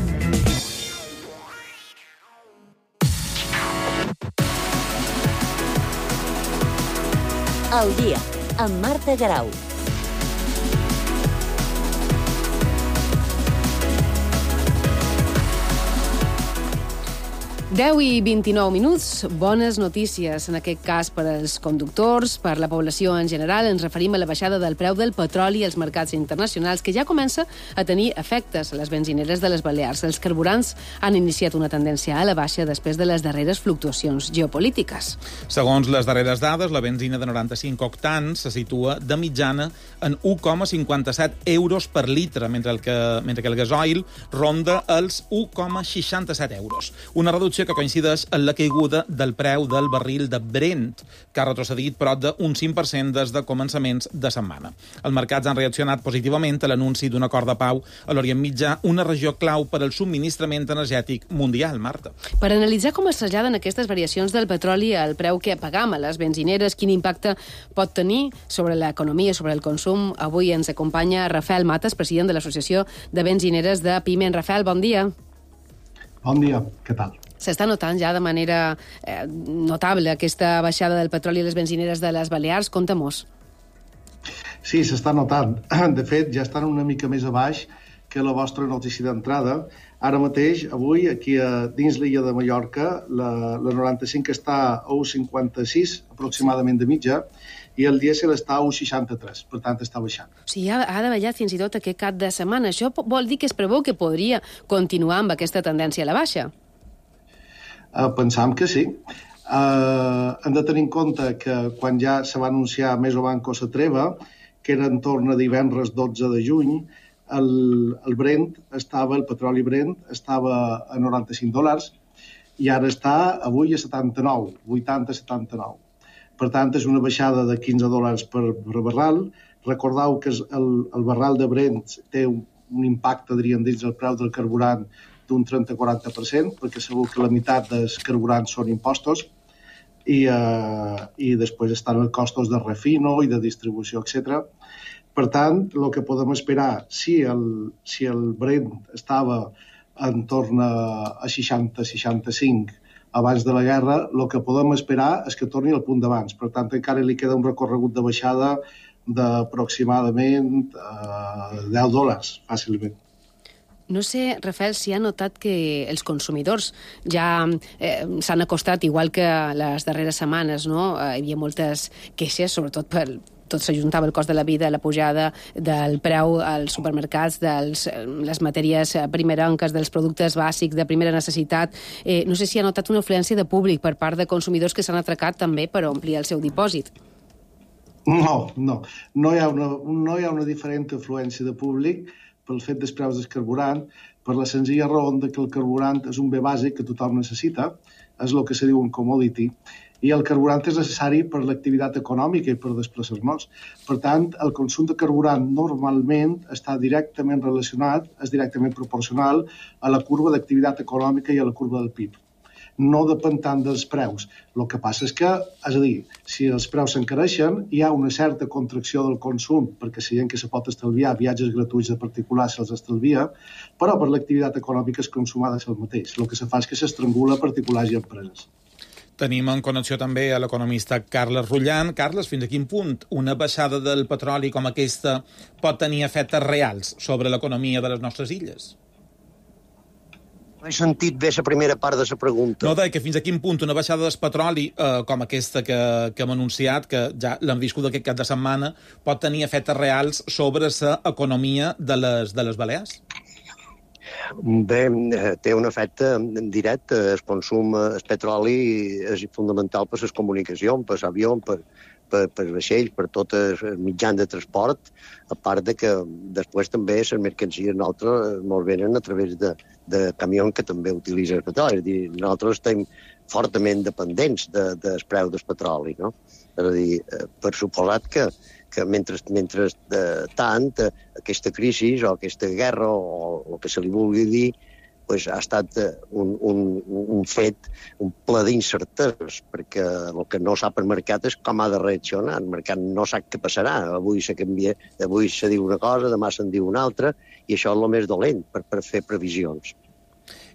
El dia, amb Marta Garau. deu i vint-i-nou minuts, bones notícies, en aquest cas per als conductors, per la població en general. Ens referim a la baixada del preu del petroli als mercats internacionals, que ja comença a tenir efectes a les benzineres de les Balears. Els carburants han iniciat una tendència a la baixa després de les darreres fluctuacions geopolítiques. Segons les darreres dades, la benzina de noranta-cinc octans se situa de mitjana en u coma cinquanta-set euros per litre, mentre, el que, mentre que el gasoil ronda els u coma seixanta-set euros. Una reducció que coincideix en la caiguda del preu del barril de Brent, que ha retrocedit prop d'un cinc per cent des de començaments de setmana. Els mercats han reaccionat positivament a l'anunci d'un acord de pau a l'Orient Mitjà, una regió clau per al subministrament energètic mundial, Marta. Per analitzar com es traslladen aquestes variacions del petroli al preu que pagam a les benzineres, quin impacte pot tenir sobre l'economia, sobre el consum, avui ens acompanya Rafael Matas, president de l'Associació de Benzineres de Piment. Rafael, bon dia. Bon dia, què tal? S'està notant ja de manera eh, notable aquesta baixada del petroli a les benzineres de les Balears. Conta-mos. Sí, s'està notant. De fet, ja estan una mica més a baix que la vostra notícia d'entrada. Ara mateix, avui, aquí a, dins l'illa de Mallorca, la, la noranta-cinc està a u cinquanta-sis, aproximadament de mitja, i el dièsel està a u seixanta-tres, per tant està baixant. O sigui, ha, ha davallat fins i tot aquest cap de setmana. Això vol dir que es preveu que podria continuar amb aquesta tendència a la baixa? Uh, pensam que sí. Uh, hem de tenir en compte que quan ja se va anunciar més o manco la treva, que era en torn a divendres dotze de juny, el, el Brent estava, el petroli Brent estava a noranta-cinc dòlars i ara està avui a setanta-nou, vuitanta a setanta-nou. Per tant, és una baixada de quinze dòlars per, per barral. Recordeu que el, el barral de Brent té un, un impacte, diríem, dins del preu del carburant d'un trenta a quaranta per cent, perquè segur que la meitat dels carburants són impostos, i, eh, i després estan els costos de refino i de distribució, etcètera. Per tant, el que podem esperar, si el, si el Brent estava en torn a seixanta a seixanta-cinc abans de la guerra, el que podem esperar és que torni al punt d'abans. Per tant, encara li queda un recorregut de baixada d'aproximadament eh, deu dòlars, fàcilment. No sé, Rafael, si ha notat que els consumidors ja eh, s'han acostat, igual que les darreres setmanes, no? Eh, hi havia moltes queixes, sobretot per tot s'ajuntava el cost de la vida, la pujada del preu als supermercats, de les matèries primerenques, dels productes bàsics de primera necessitat. Eh, no sé si ha notat una influència de públic per part de consumidors que s'han atracat també per omplir el seu dipòsit. No, no. No hi ha una, no hi ha una diferent influència de públic pel fet dels preus del carburant, per la senzilla raó que el carburant és un bé bàsic que tothom necessita, és el que se diu un commodity, i el carburant és necessari per l'activitat econòmica i per desplaçar-nos. Per tant, el consum de carburant normalment està directament relacionat, és directament proporcional a la curva d'activitat econòmica i a la curva del P I B. no depèn tant dels preus. El que passa és que, és a dir, si els preus s'encareixen, hi ha una certa contracció del consum, perquè si gent que se pot estalviar viatges gratuïts de particulars se'ls estalvia, però per l'activitat econòmica es consum ha de ser el mateix. El que se fa és que s'estrangula particulars i empreses. Tenim en connexió també a l'economista Carles Rullan. Carles, fins a quin punt una baixada del petroli com aquesta pot tenir efectes reals sobre l'economia de les nostres illes? No he sentit bé la primera part de la pregunta. No, deia que fins a quin punt una baixada del petroli eh, com aquesta que, que hem anunciat, que ja l'hem viscut aquest cap de setmana, pot tenir efectes reals sobre l'economia de les, de les Balears? Bé, té un efecte directe. El consum, el petroli és fonamental per les comunicacions, per l'avió, per, per, per vaixells, per tots els mitjans de transport, a part de que després també les mercancies nosaltres ens venen a través de, de camions que també utilitzen el petroli. És a dir, nosaltres estem fortament dependents de, del preu del petroli, no? És a dir, per suposat que que mentre, mentre eh, tant eh, aquesta crisi o aquesta guerra o el que se li vulgui dir pues, ha estat un, un, un fet, un ple d'incerteses, perquè el que no sap el mercat és com ha de reaccionar. El mercat no sap què passarà. Avui se canvia, avui se diu una cosa, demà se'n diu una altra, i això és el més dolent per, per fer previsions.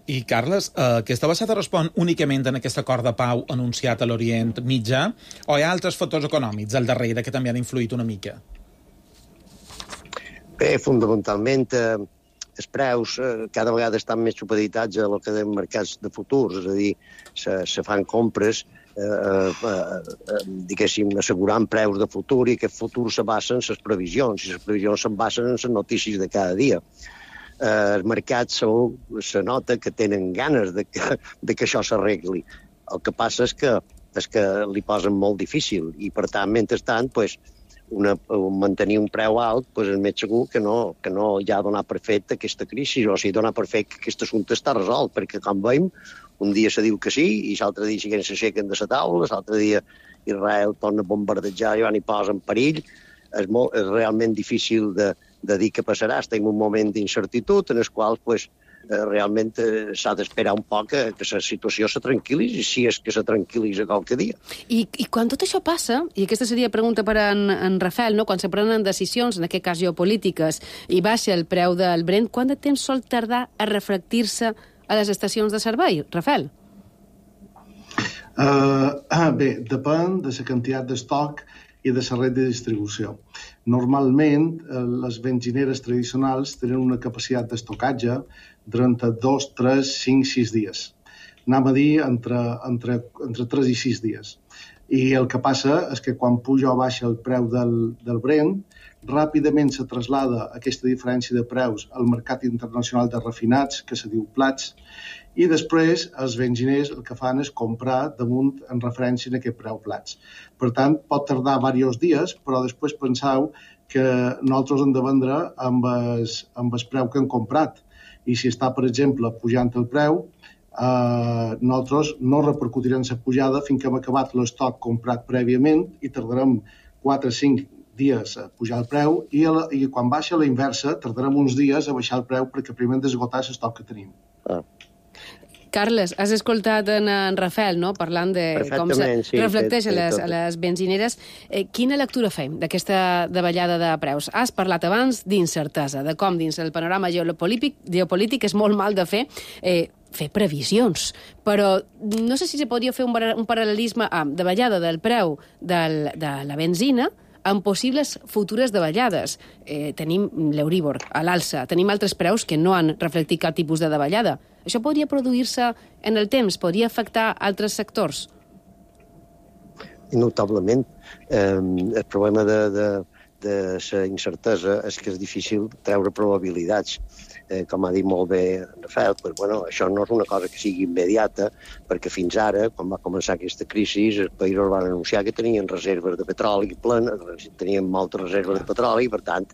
I, Carles, eh, aquesta baixada respon únicament en aquest acord de pau anunciat a l'Orient Mitjà o hi ha altres factors econòmics al darrere que també han influït una mica? Bé, fundamentalment, eh, els preus eh, cada vegada estan més supeditats a lo que de mercats de futurs, és a dir, se, se fan compres eh, eh, eh, diguéssim, assegurant preus de futur i aquest futur se basen en les previsions i les previsions se basen en les notícies de cada dia. Eh, els mercats segur se nota que tenen ganes de que, de que això s'arregli. El que passa és que, és que li posen molt difícil i, per tant, mentrestant, pues, una, mantenir un preu alt pues, és més segur que no, que no ja donar per fet aquesta crisi, o sigui, donar per fet que aquest assumpte està resolt, perquè, com veiem, un dia se diu que sí i l'altre dia siguen s'aixequen de la taula, l'altre dia Israel torna a bombardejar i van i posa en perill. És, molt, és realment difícil de de dir què passarà. Estem en un moment d'incertitud en el qual pues, eh, realment eh, s'ha d'esperar un poc que, que la situació se tranquil·litzi, si és que se tranquil·litza qualque dia. I, I quan tot això passa, i aquesta seria pregunta per en, en Rafael, no? Quan se prenen decisions, en aquest cas geopolítiques, i baixa el preu del Brent, quant de temps sol tardar a reflectir-se a les estacions de servei? Rafael? Uh, ah, bé, depèn de la quantitat d'estoc i de la red de distribució. Normalment, les benzineres tradicionals tenen una capacitat d'estocatge d'entre dos, tres, cinc, sis dies. Anem a dir entre, entre, entre tres i sis dies. I el que passa és que quan puja o baixa el preu del, del Brent, ràpidament se traslada aquesta diferència de preus al mercat internacional de refinats, que se diu plats, i després els benziners el que fan és comprar damunt en referència a aquest preu plats. Per tant, pot tardar diversos dies, però després penseu que nosaltres hem de vendre amb el, amb el preu que hem comprat. I si està, per exemple, pujant el preu, eh, nosaltres no repercutirem la pujada fins que hem acabat l'estoc comprat prèviament i tardarem quatre o cinc dies a pujar el preu i, a la, i quan baixa la inversa tardarem uns dies a baixar el preu perquè primer hem d'esgotar l'estoc que tenim. Ah. Carles, has escoltat en, en Rafael, no?, parlant de com se sí, reflecteix sí, a, les, sí, a les benzineres. Eh, quina lectura fem d'aquesta davallada de preus? Has parlat abans d'incertesa, de com dins el panorama geopolític, geopolític és molt mal de fer eh, fer previsions, però no sé si se podria fer un, un paral·lelisme amb davallada del preu del, de la benzina amb possibles futures davallades. Eh, tenim l'Euríbor a l'alça, tenim altres preus que no han reflectit cap tipus de davallada. Això podria produir-se en el temps? Podria afectar altres sectors? Notablement. Eh, el problema de, de, de la incertesa és que és difícil treure probabilitats. Eh, com ha dit molt bé Rafael, pues, bueno, això no és una cosa que sigui immediata, perquè fins ara, quan va començar aquesta crisi, els països van anunciar que tenien reserves de petroli plenes, tenien moltes reserves de petroli, i per tant,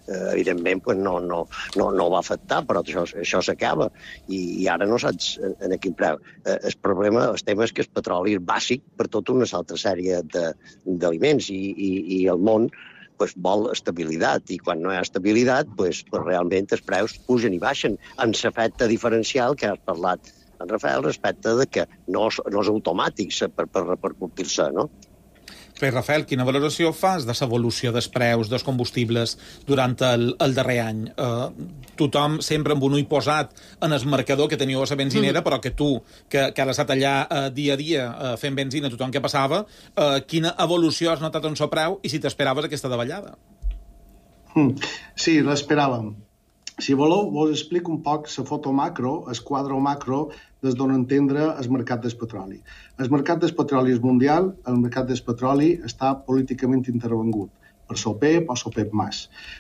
eh, evidentment, pues, no, no, no, no va afectar, però això, això s'acaba, i, i ara no saps en, en quin preu. Eh, el problema, el tema és que el petroli és bàsic per tota una altra sèrie d'aliments, i, i, i el món pues, vol estabilitat, i quan no hi ha estabilitat, pues, pues, realment els preus pugen i baixen, en l'efecte diferencial que has parlat en Rafael respecte de que no és, no és automàtic per, per repercutir-se, no? Bé, Rafael, quina valoració fas de l'evolució dels preus dels combustibles durant el, el darrer any? Uh, tothom sempre amb un ull posat en el marcador que teniu a la benzinera, mm. però que tu, que, que has estat allà uh, dia a dia uh, fent benzina, tothom que passava, uh, quina evolució has notat en el preu i si t'esperaves aquesta davallada? Mm. Sí, l'esperàvem. Si voleu, vos explico un poc la foto macro, el quadre macro, des d'on entendre el mercat del petroli. El mercat del petroli és mundial, el mercat del petroli està políticament intervengut per l'OPEP o l'OPEP més.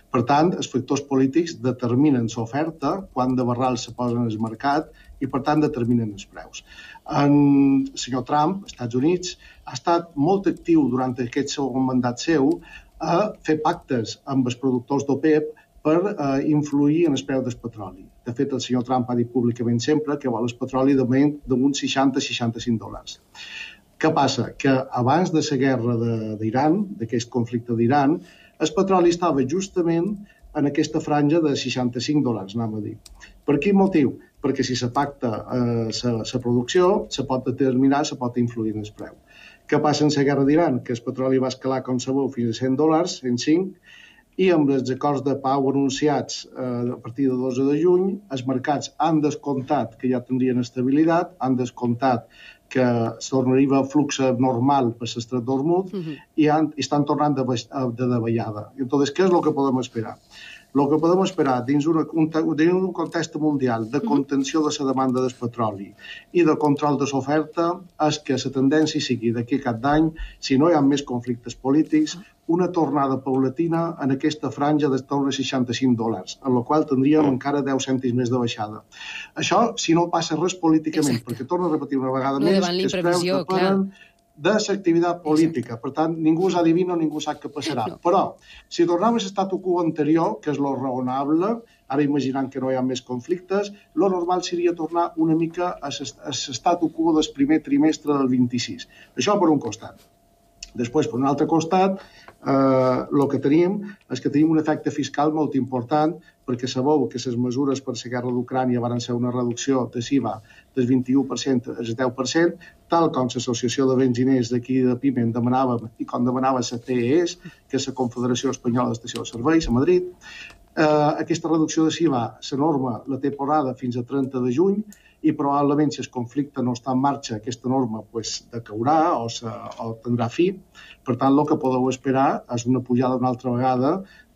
Per tant, els factors polítics determinen l'oferta, quan de barral se posen al mercat i, per tant, determinen els preus. En el senyor Trump, als Estats Units, ha estat molt actiu durant aquest segon mandat seu a fer pactes amb els productors d'OPEP per eh, influir en el preu del petroli. De fet, el senyor Trump ha dit públicament sempre que vol el petroli d'uns seixanta a seixanta-cinc dòlars. Què passa? Que abans de la guerra d'Iran, d'aquest conflicte d'Iran, el petroli estava justament en aquesta franja de seixanta-cinc dòlars, anem a dir. Per quin motiu? Perquè si se pacta la eh, producció, se pot determinar, se pot influir en el preu. Què passa en la guerra d'Iran? Que el petroli va escalar, com sabeu, fins a cent dòlars, cent cinc, i amb els acords de pau anunciats eh, a partir de dotze de juny, els mercats han descomptat que ja tindrien estabilitat, han descomptat que tornaria a flux normal per l'estret d'Hormuz uh-huh. i, han, i estan tornant de, de davallada. Entonces, què és el que podem esperar? El que podem esperar dins, una, un, dins un context mundial de contenció de la demanda del petroli i de control de l'oferta és que la tendència sigui d'aquí a cap d'any, si no hi ha més conflictes polítics, una tornada paulatina en aquesta franja de torn a seixanta-cinc dòlars, en la qual tindríem encara deu cèntims més de baixada. Això, si no passa res políticament, Exacte. Perquè torno a repetir una vegada no més, que els preus depenen de l'activitat política. Per tant, ningú s'adivina, ningú sap què passarà. No. Però, si tornem a l'estatu quo anterior, que és lo raonable, ara imaginant que no hi ha més conflictes, lo normal seria tornar una mica a l'estatu quo del primer trimestre del vint-i-sis. Això per un costat. Després, per un altre costat, eh, el que tenim és que tenim un efecte fiscal molt important, perquè sabeu que les mesures per la guerra d'Ucrània van ser una reducció de l'I V A del vint-i-u per cent al deu per cent, tal com l'Associació de Benziners d'aquí de Piment demanava i com demanava la C E S, que és la Confederació Espanyola d'Estació de Serveis, a Madrid. Eh, aquesta reducció de l'I V A, la norma la té posada fins a trenta de juny, i probablement si el conflicte no està en marxa, aquesta norma pues, decaurà o, se, o tindrà fi. Per tant, el que podeu esperar és una pujada una altra vegada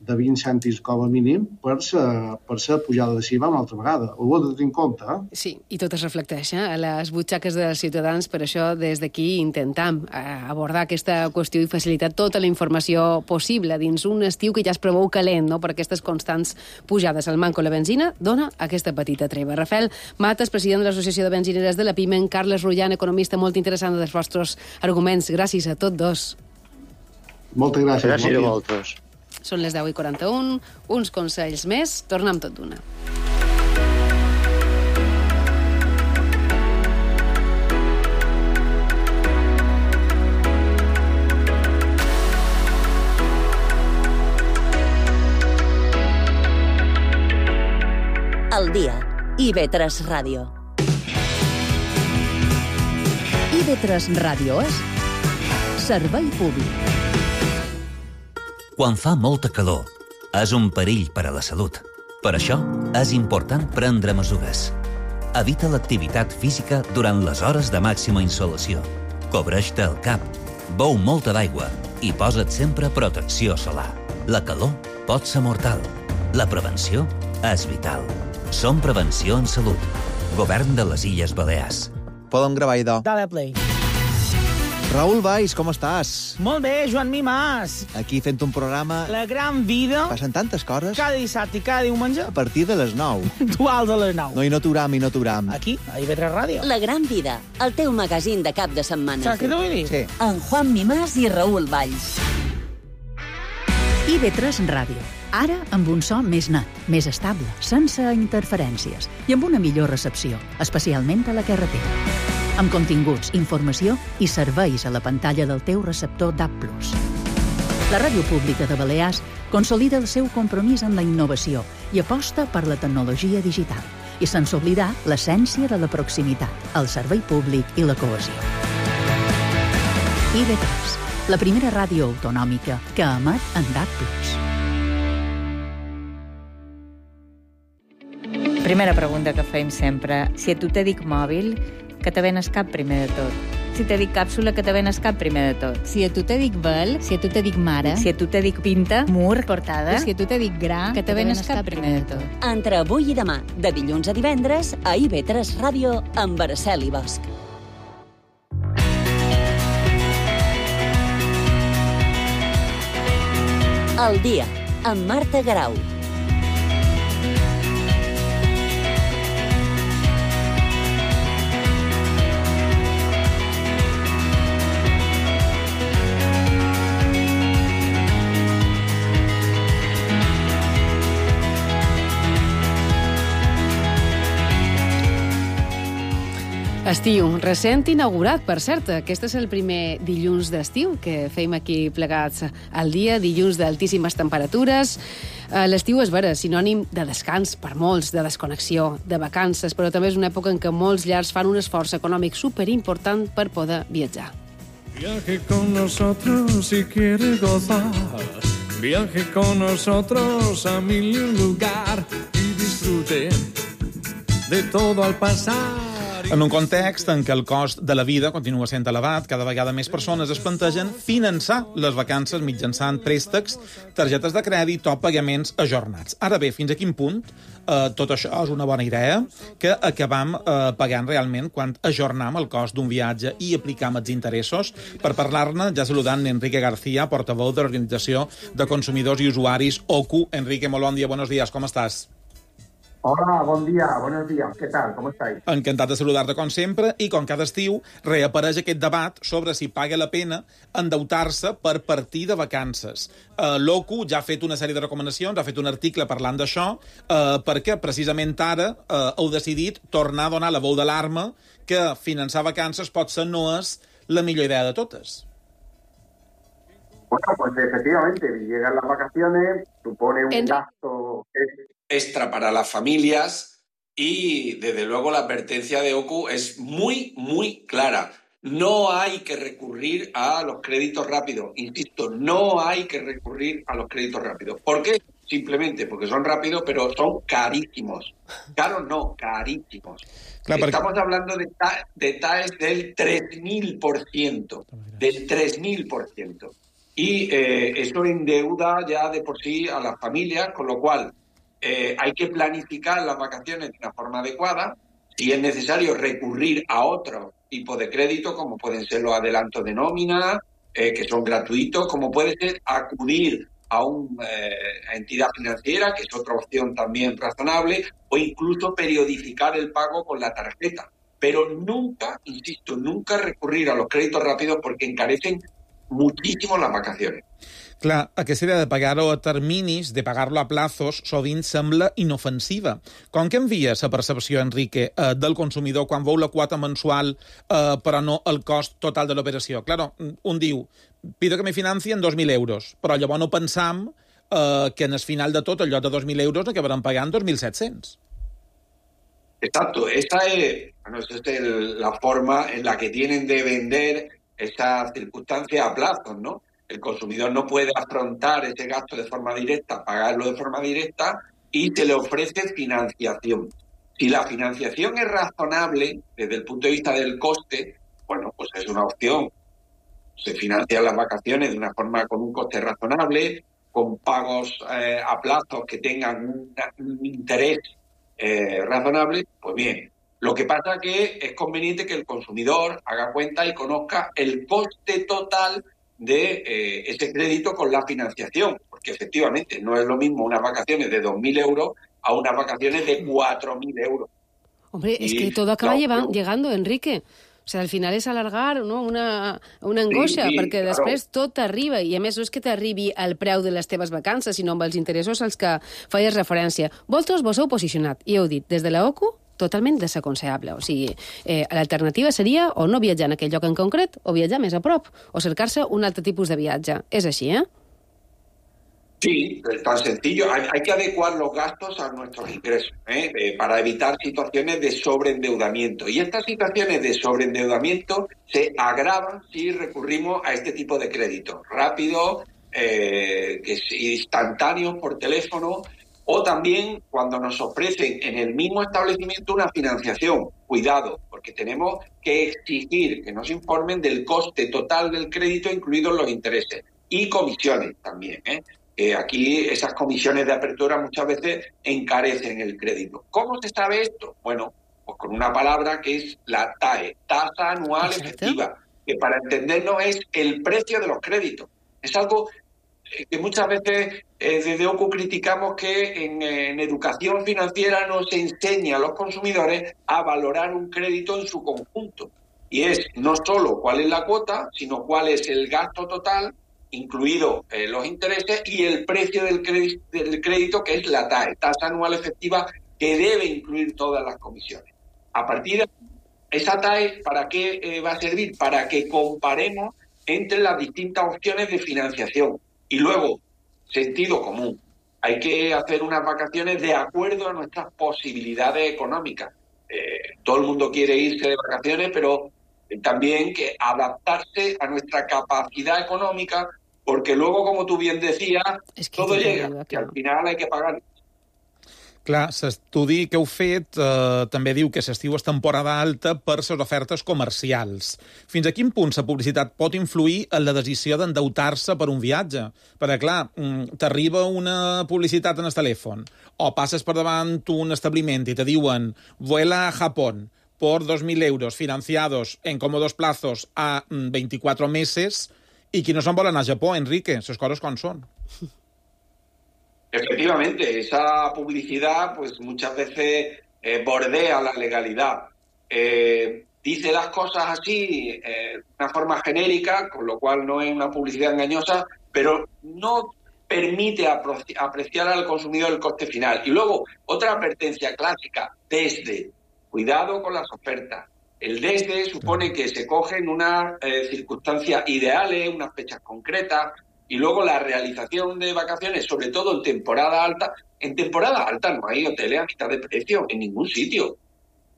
de vint cèntims com a mínim per la per pujada de l'I V A una altra vegada. Ho heu de tenir en compte. Eh? Sí, i tot es reflecteix eh? a les butxaques dels ciutadans, per això des d'aquí intentam abordar aquesta qüestió i facilitar tota la informació possible dins un estiu que ja es preveu calent, no? Per aquestes constants pujades. El manco la benzina dona aquesta petita treva. Rafael Matas, president de l'Associació de Benzineres de la Piment, Carles Rullan, economista, molt interessant dels vostres arguments. Gràcies a tots dos. Moltes gràcies. Gràcies a vosaltres. Són les deu i quaranta-un, uns consells més, tornem tot d'una. Al dia, I V tres Ràdio. I V tres Ràdio és servei públic. Quan fa molta calor, és un perill per a la salut. Per això, és important prendre mesures. Evita l'activitat física durant les hores de màxima insolació. Cobreix-te el cap, beu molta d'aigua i posa't sempre protecció solar. La calor pot ser mortal. La prevenció és vital. Som Prevenció en Salut. Govern de les Illes Balears. Podem gravar, idò. Dale play. Raül Valls, com estàs? Molt bé, Joan Mimàs. Aquí fent un programa... La gran vida. Passen tantes coses. Cada dissabte i cada diumenge. A partir de les nou. Duals a les nou. No, i no t'uram, i no t'uram. Aquí, a I V tres Ràdio. La gran vida, el teu magazín de cap de setmana. Saps què t'ho vull dir? Sí. En Juan Mimàs i Raül Valls. I V tres Ràdio. Ara amb un so més net, més estable, sense interferències i amb una millor recepció, especialment a la carretera. Amb continguts, informació i serveis a la pantalla del teu receptor D A B plus. La Ràdio Pública de Balears consolida el seu compromís amb la innovació i aposta per la tecnologia digital, i sense oblidar l'essència de la proximitat, el servei públic i la cohesió. I B tres, la primera ràdio autonòmica que emet en D A B plus. Primera pregunta que fem sempre. Si a tu te dic mòbil, que te ven el cap primer de tot. Si te dic càpsula, que te ven el cap primer de tot. Si a tu te dic vel, si a tu te dic mare, si a tu te dic pinta, mur, portada, si a tu te dic gra, que te ven el cap primer de tot. Entre avui i demà, de dilluns a divendres, a I B tres Ràdio, amb Araceli Bosch. El dia, amb Marta Garau. Estiu, recent inaugurat, per cert. Aquest és el primer dilluns d'estiu que fem aquí plegats al dia, dilluns d'altíssimes temperatures. L'estiu és vera, sinònim de descans per molts, de desconnexió, de vacances, però també és una època en què molts llars fan un esforç econòmic superimportant per poder viatjar. Viaje con nosotros si quiere gozar. Viaje con nosotros a mil lugar y disfrute de todo al pasar. En un context en què el cost de la vida continua sent elevat, cada vegada més persones es plantegen finançar les vacances mitjançant préstecs, targetes de crèdit o pagaments ajornats. Ara bé, fins a quin punt eh, tot això és una bona idea, que acabam eh, pagant realment quan ajornam el cost d'un viatge i aplicam els interessos? Per parlar-ne, ja saludant Enrique García, portaveu de l'Organització de Consumidors i Usuaris O C U. Enrique, molt bon dia, buenos días, ¿cómo estás? Hola, bon dia, buenos días. ¿Qué tal? ¿Cómo estáis? Encantat de saludar-te com sempre i com cada estiu reapareix aquest debat sobre si paga la pena endeutar-se per partir de vacances. Uh, L'O C U ja ha fet una sèrie de recomanacions, ha fet un article parlant d'això, uh, perquè precisament ara uh, heu decidit tornar a donar la veu d'alarma que finançar vacances potser no és la millor idea de totes. Bueno, pues efectivamente, llegan las vacaciones, supone un en... gasto extra para las familias y, desde luego, la advertencia de O C U es muy, muy clara. No hay que recurrir a los créditos rápidos. Insisto, no hay que recurrir a los créditos rápidos. ¿Por qué? Simplemente porque son rápidos, pero son carísimos. Caros no, carísimos. Claro, Estamos porque... hablando de, ta de T A E S del tres mil por ciento. Del tres mil por ciento. Y eh, eso endeuda ya de por sí a las familias, con lo cual eh, hay que planificar las vacaciones de una forma adecuada. Si es necesario recurrir a otro tipo de crédito, como pueden ser los adelantos de nómina, eh, que son gratuitos, como puede ser acudir a una eh, entidad financiera, que es otra opción también razonable, o incluso periodificar el pago con la tarjeta. Pero nunca, insisto, nunca recurrir a los créditos rápidos porque encarecen muchísimo las vacaciones. Clar, aquesta idea de pagar-ho a terminis, de pagar-lo a plazos, sovint sembla inofensiva. Com que envia la percepció, Enrique, eh, del consumidor quan veu la quota mensual, eh, però no el cost total de l'operació? Claro, un diu, pido que me financien dos mil euros, però llavors no pensam eh, que en el final de tot, en lloc de dos mil euros, acabaran pagant dos mil set-cents. Exacto, esta es, bueno, esta es el, la forma en la que tienen de vender esa circunstancia a plazos, ¿no? El consumidor no puede afrontar ese gasto de forma directa, pagarlo de forma directa y se le ofrece financiación. Si la financiación es razonable desde el punto de vista del coste, bueno, pues es una opción. Se financian las vacaciones de una forma con un coste razonable, con pagos eh, a plazos que tengan un, un interés eh, razonable, pues bien. Lo que pasa es que es conveniente que el consumidor haga cuenta y conozca el coste total de eh, ese crédito con la financiación, porque efectivamente no es lo mismo unas vacaciones de dos mil euros a unas vacaciones de cuatro mil euros. Hombre, y es que todo acaba no, llevan, no. llegando, Enrique. O sigui, al final és alargar, no? una, una angoixa, sí, sí, perquè claro. Després tot t'arriba, i a més no és que t'arribi el preu de les teves vacances, sinó amb els interessos als que feies referència. Vosaltres vos heu posicionat, i heu dit, des de la O C U, totalment desaconsellable. O sigui, eh, l'alternativa seria o no viatjar en aquell lloc en concret, o viatjar més a prop, o cercar-se un altre tipus de viatge. És així, eh? Sí, es tan sencillo. Hay, hay que adecuar los gastos a nuestros ingresos ¿eh? Eh, para evitar situaciones de sobreendeudamiento. Y estas situaciones de sobreendeudamiento se agravan si recurrimos a este tipo de créditos rápidos, eh, que es instantáneos por teléfono, o también cuando nos ofrecen en el mismo establecimiento una financiación. Cuidado, porque tenemos que exigir que nos informen del coste total del crédito, incluidos los intereses, y comisiones también, ¿eh? Eh, aquí esas comisiones de apertura muchas veces encarecen el crédito. ¿Cómo se sabe esto? Bueno, pues con una palabra que es la T A E, tasa anual efectiva, que para entendernos es el precio de los créditos. Es algo que muchas veces eh, desde O C U criticamos que en, en educación financiera no se enseña a los consumidores a valorar un crédito en su conjunto. Y es no solo cuál es la cuota, sino cuál es el gasto total, incluidos eh, los intereses, y el precio del crédito, del crédito, que es la T A E, tasa anual efectiva, que debe incluir todas las comisiones. A partir de esa T A E, ¿para qué eh, va a servir? Para que comparemos entre las distintas opciones de financiación. Y luego, sentido común. Hay que hacer unas vacaciones de acuerdo a nuestras posibilidades económicas. Eh, todo el mundo quiere irse de vacaciones, pero también que adaptarse a nuestra capacidad económica, porque luego, como tú bien decías, es que todo llega, que al final hay que pagar. Clar, l'estudi que heu fet eh, també diu que l'estiu és temporada alta per les ofertes comercials. Fins a quin punt la publicitat pot influir en la decisió d'endeutar-se per un viatge? Perquè, clar, t'arriba una publicitat en el telèfon o passes per davant un establiment i te diuen vuela a Japón por dos mil euros financiados en cómodos plazos a veinticuatro meses, i qui no se'n vol anar a Japó, Enrique, les coses com són. Efectivamente, esa publicidad pues muchas veces eh, bordea la legalidad. Eh, dice las cosas así, eh, de una forma genérica, con lo cual no es una publicidad engañosa, pero no permite apreciar al consumidor el coste final. Y luego, otra advertencia clásica, desde. Cuidado con las ofertas. El desde supone que se cogen unas eh, circunstancias ideales, unas fechas concretas, y luego la realización de vacaciones, sobre todo en temporada alta. En temporada alta no hay hoteles a mitad de precio en ningún sitio,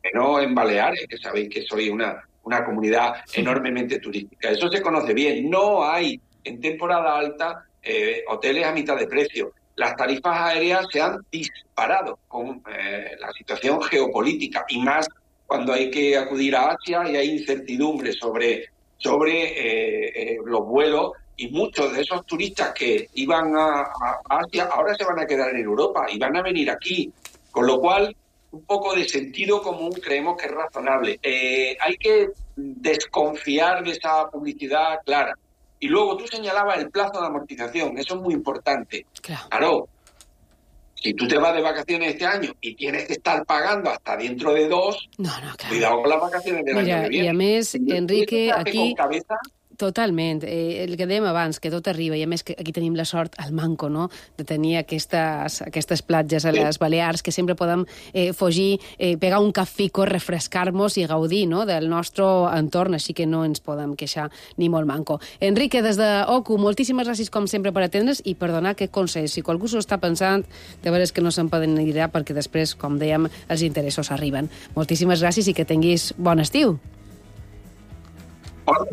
menos en Baleares, que sabéis que soy una, una comunidad enormemente turística. Eso se conoce bien. No hay en temporada alta eh, hoteles a mitad de precio. Las tarifas aéreas se han disparado con eh, la situación geopolítica, y más cuando hay que acudir a Asia y hay incertidumbre sobre, sobre eh, eh, los vuelos. Y muchos de esos turistas que iban a, a Asia ahora se van a quedar en Europa y van a venir aquí. Con lo cual, un poco de sentido común creemos que es razonable. Eh, hay que desconfiar de esa publicidad clara. Y luego tú señalabas el plazo de amortización. Eso es muy importante. Claro. Claro. Si tú te vas de vacaciones este año y tienes que estar pagando hasta dentro de dos, no, no, claro. Cuidado con las vacaciones del Mira, año que viene. I a més, Enrique, aquí... Con cabeza, totalment. Eh, el que dèiem abans, que tot arriba, i a més que aquí tenim la sort, al manco, no?, de tenir aquestes, aquestes platges a les Balears, que sempre podem eh, fugir, eh, pegar un cafico, refrescar-nos i gaudir, no?, del nostre entorn, així que no ens podem queixar ni molt manco. Enrique, des de O C U, moltíssimes gràcies com sempre per atendre's i per donar aquest consell. Si qualcú s'ho està pensant, de veres que no se'n poden anirà perquè després, com dèiem, els interessos arriben. Moltíssimes gràcies i que tinguis bon estiu.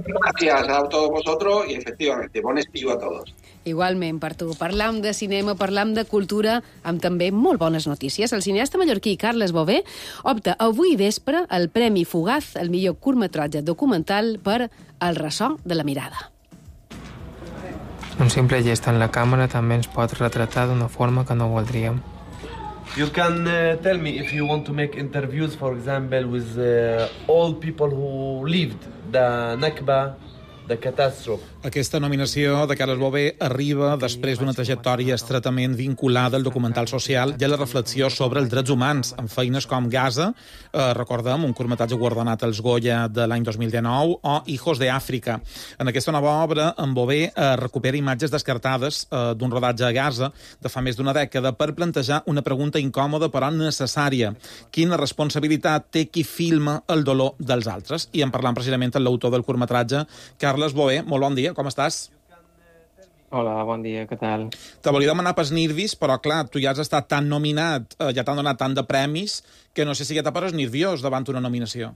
Gracias a todos vosotros y efectivamente, bon estiu a todos. Igualment, per tu. Parlam de cinema, parlam de cultura, amb també molt bones notícies. El cineasta mallorquí Carles Bové opta avui vespre al Premi Fugaz, el millor curtmetratge documental, per El ressò de la mirada. Un simple gest en la càmera també ens pot retratar d'una forma que no voldríem. You can uh, tell me if you want to make interviews, for example, with uh, all people who lived the Nakba, the catastrophe. Aquesta nominació de Carles Bové arriba després d'una trajectòria estretament vinculada al documental social i a la reflexió sobre els drets humans, amb feines com Gaza, eh, recordem, un curtmetratge guardonat als Goya de l'any dos mil dinou, o Hijos de Àfrica. En aquesta nova obra, en Bové eh, recupera imatges descartades eh, d'un rodatge a Gaza de fa més d'una dècada per plantejar una pregunta incòmoda però necessària. Quina responsabilitat té qui filma el dolor dels altres? I en parlant precisament amb l'autor del curtmetratge, Carles Bové. Molt bon dia, com estàs? Hola, bon dia, què tal? Te volia demanar pels Nervis, però clar, tu ja has estat tan nominat, eh, ja t'han donat tant de premis, que no sé si ja te poses nerviós davant una nominació.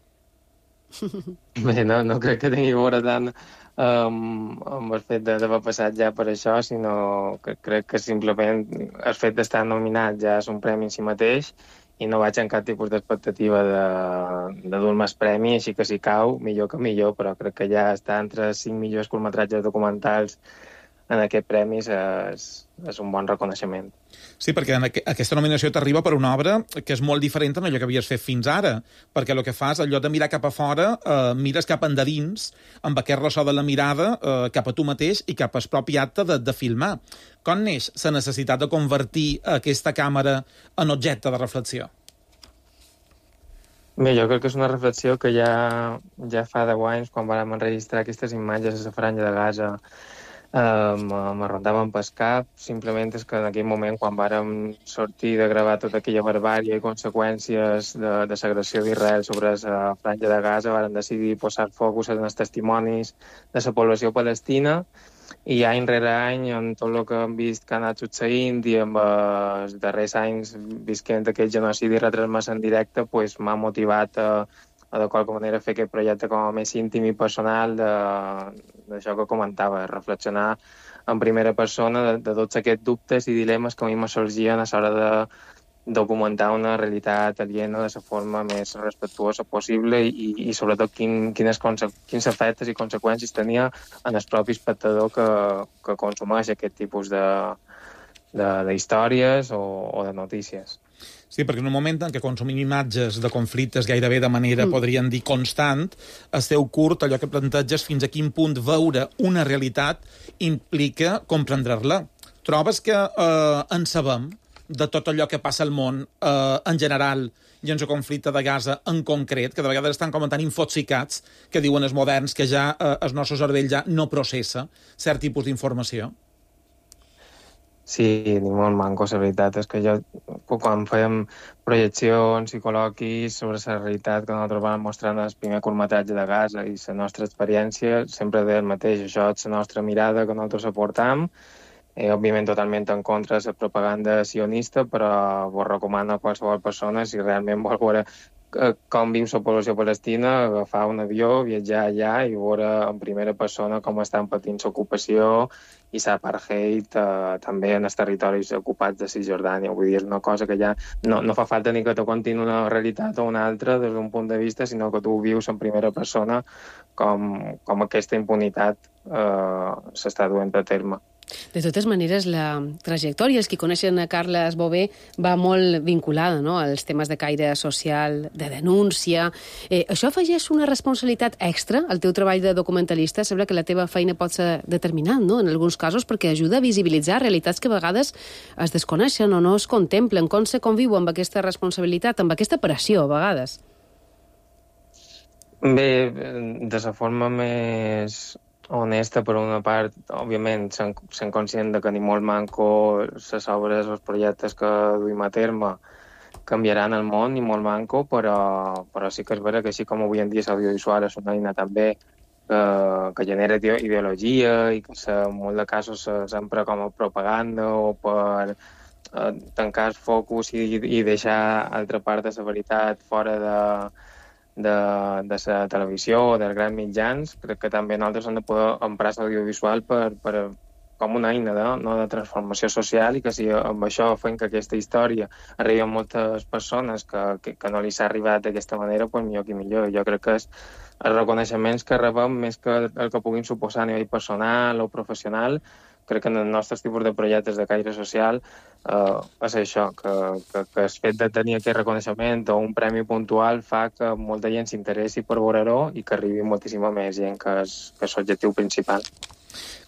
Bé, no, no crec que tingui a veure tant um, amb el fet d'haver passat ja per això, sinó que crec que simplement el fet d'estar nominat ja és un premi en si mateix i no vaig en cap tipus d'expectativa de, de dur més premi, així que si cau, millor que millor, però crec que ja està entre els cinc millors curtmetratges documentals en aquest premi és, és un bon reconeixement. Sí, perquè en aqu aquesta nominació t'arriba per una obra que és molt diferent en allò que havies fet fins ara, perquè el que fas, allò de mirar cap a fora, eh, mires cap endins, amb aquest ressò de la mirada eh, cap a tu mateix i cap al propi acte de, de filmar. Com neix la necessitat de convertir aquesta càmera en objecte de reflexió? Bé, jo crec que és una reflexió que ja, ja fa deu anys, quan vam enregistrar aquestes imatges a la Franja de Gaza, Uh, me rondaven pel cap. Simplement és que en aquell moment, quan vàrem sortir de gravar tota aquella barbària i conseqüències de, de l'agressió d'Israel sobre la Franja de Gaza, vàrem decidir posar focus en els testimonis de la població palestina, i any rere any, en tot el que hem vist que ha anat succeint i amb els darrers anys visquent aquest genocidi retransmès en directe, pues, m'ha motivat a o de qualque manera fer aquest projecte com a més íntim i personal d'això que comentava, reflexionar en primera persona de, de tots aquests dubtes i dilemes que a mi me sorgien a l'hora de documentar una realitat aliena de la forma més respectuosa possible i, i sobretot quin, quines, quins efectes i conseqüències tenia en el propi espectador que, que consumeix aquest tipus d'històries o, o de notícies. Sí, perquè en un moment en què consumim imatges de conflictes gairebé de manera, mm. podríem dir, constant, el teu curt, allò que planteges, fins a quin punt veure una realitat implica comprendre-la. Trobes que eh, en sabem de tot allò que passa al món eh, en general i en el conflicte de Gaza en concret, que de vegades estan com tan infoxicats que diuen els moderns que ja eh, el nostre cervell ja no processa cert tipus d'informació? Sí, ni molt manco. La veritat és que jo, quan fèiem projeccions i col·loquis sobre la realitat que nosaltres vam mostrar en el primer curtmetratge de Gaza i la nostra experiència, sempre deia el mateix. Això és la nostra mirada que nosaltres aportam, eh, òbviament totalment en contra de la propaganda sionista, però vos recomano a qualsevol persona, si realment vol veure com viu la població palestina, agafar un avió, viatjar allà i veure en primera persona com estan patint l'ocupació i l'apartheid eh, també en els territoris ocupats de Cisjordània. Vull dir, és una cosa que ja no, no fa falta ni que te contin una realitat o una altra des d'un punt de vista, sinó que tu vius en primera persona com, com aquesta impunitat eh, s'està duent a terme. De totes maneres, la trajectòria, els que coneixen a Carles Bové, va molt vinculada, no?, als temes de caire social, de denúncia. Eh, això afegeix una responsabilitat extra al teu treball de documentalista? Sembla que la teva feina pot ser determinant, no?, en alguns casos, perquè ajuda a visibilitzar realitats que a vegades es desconeixen o no es contemplen. Com se conviu amb aquesta responsabilitat, amb aquesta pressió, a vegades? Bé, de la forma més honesta, per una part, òbviament, sent, sent conscient de que ni molt manco les obres, els projectes que duim a terme canviaran el món, ni molt manco, però, però sí que és vera que així com avui en dia l'audiovisual és una eina també que, que genera ideologia i que en molts de casos s'empra com a propaganda o per eh, tancar el focus i, i deixar altra part de la veritat fora de de, de la televisió o dels grans mitjans. Crec que també nosaltres hem de poder emprar l'audiovisual per, per, com una eina de, no, de transformació social i que si amb això fem que aquesta història arribi a moltes persones que, que, que no li s'ha arribat d'aquesta manera, doncs millor que millor. Jo crec que és els reconeixements que rebem més que el que puguin suposar a nivell personal o professional. Crec que en els nostres tipus de projectes de caire social eh, és això, que, que, que el fet de tenir aquest reconeixement o un premi puntual fa que molta gent s'interessi per veure-ho i que arribi moltíssima més gent, que és, que és l'objectiu principal.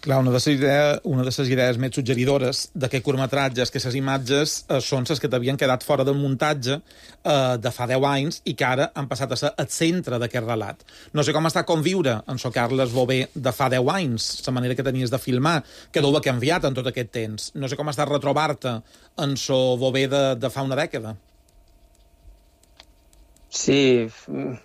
Clar, una de les idees, una de les idees més suggeridores d'aquest curtmetratge és que les imatges eh, són les que t'havien quedat fora del muntatge eh, de fa deu anys i que ara han passat a ser el centre d'aquest relat. No sé com està conviure amb so Carles Bové de fa deu anys, la manera que tenies de filmar, que deu haver canviat en tot aquest temps. No sé com està retrobar-te en so Bové de, de fa una dècada. Sí,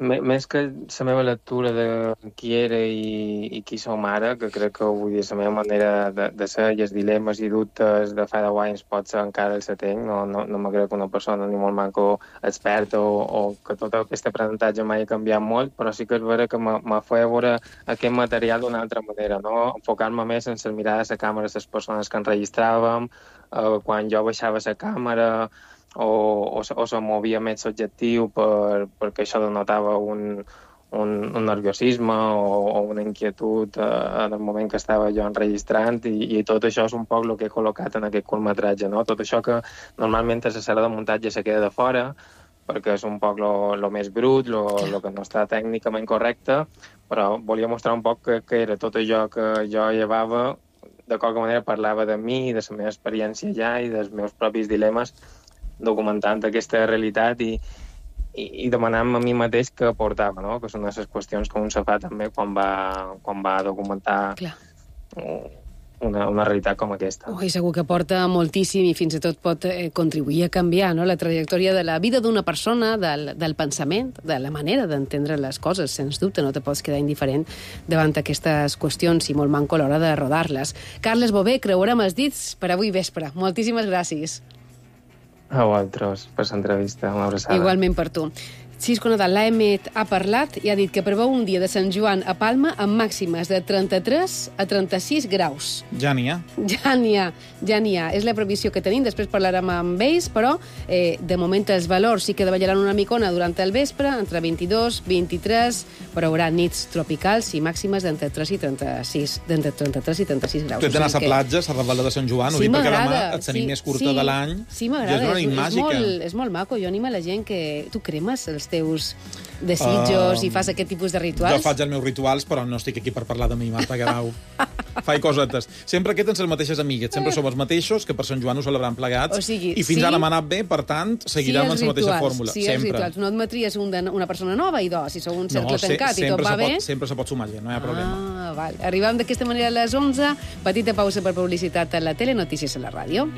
més que la meva lectura de qui era i, i qui som ara, que crec que vull dir, la meva manera de, de ser i els dilemes i dubtes de fa deu anys pot ser encara el setenc, no, no, no me crec que una persona ni molt manco experta o, o que tot aquest aprenentatge mai ha canviat molt, però sí que és vera que m'ha fet veure aquest material d'una altra manera, no? Enfocar-me més en la mirada de la càmera de les persones que enregistràvem, eh, quan jo baixava la càmera, o, o, o se movia més l'objectiu per, perquè això denotava un, un, un nerviosisme o, o una inquietud eh, en el moment que estava jo enregistrant i, i tot això és un poc el que he col·locat en aquest curtmetratge, no? Tot això que normalment a la sala de muntatge se queda de fora perquè és un poc el més brut, el que no està tècnicament correcte, però volia mostrar un poc que, que era tot allò que jo llevava, de qualque manera parlava de mi, de la meva experiència ja i dels meus propis dilemes, documentant aquesta realitat i, i, i demanant-me a mi mateix què aportava, no? Que són les qüestions que un se fa també quan va, quan va documentar una, una realitat com aquesta. Oh, i segur que aporta moltíssim i fins i tot pot eh, contribuir a canviar, no?, la trajectòria de la vida d'una persona, del, del pensament, de la manera d'entendre les coses, sens dubte, no te pots quedar indiferent davant aquestes qüestions i molt manco a l'hora de rodar-les. Carles Bové, creurem els dits per avui vespre. Moltíssimes gràcies. A vosaltres, per l'entrevista, una abraçada. Igualment per tu. Cisco Nadal, l'A M E T ha parlat i ha dit que preveu un dia de Sant Joan a Palma amb màximes de trenta-tres a trenta-sis graus. Ja n'hi ha. Ja n'hi ha, ja n'hi ha. És la previsió que tenim, després parlarem amb ells, però eh, de moment els valors sí que davallaran una micona durant el vespre, entre vint-i-dos, vint-i-tres, però hi haurà nits tropicals i màximes d'entre tres i trenta-sis, d'entre trenta-tres i trenta-sis graus. Tu ets d'anar a la platja, a la Ravalda de Sant Joan, ho sí, dic perquè demà et tenim sí, més curta sí, de l'any. Sí, m'agrada, és una nit és, és, màgica. molt, és molt maco. Jo animo a la gent que tu cremes els teus desitjos uh, i fas aquest tipus de rituals. Jo faig els meus rituals, però no estic aquí per parlar de mi, Marta Guerau. Faig cosetes. Sempre aquest en les mateixes amigues. Sempre som els mateixos, que per Sant Joan ho celebrem plegats. O sigui, I fins sí, ara m'ha anat bé, per tant, seguirem sí, en la mateixa fórmula. Sí, sempre. Rituals. No admetries un de, una persona nova i dos, si sou un cercle no, tancat se, i tot va se bé. Pot, sempre se pot sumar gent, no hi ha problema. Ah, val. Arribem d'aquesta manera a les onze. Petita pausa per publicitat a la tele, notícies a la ràdio.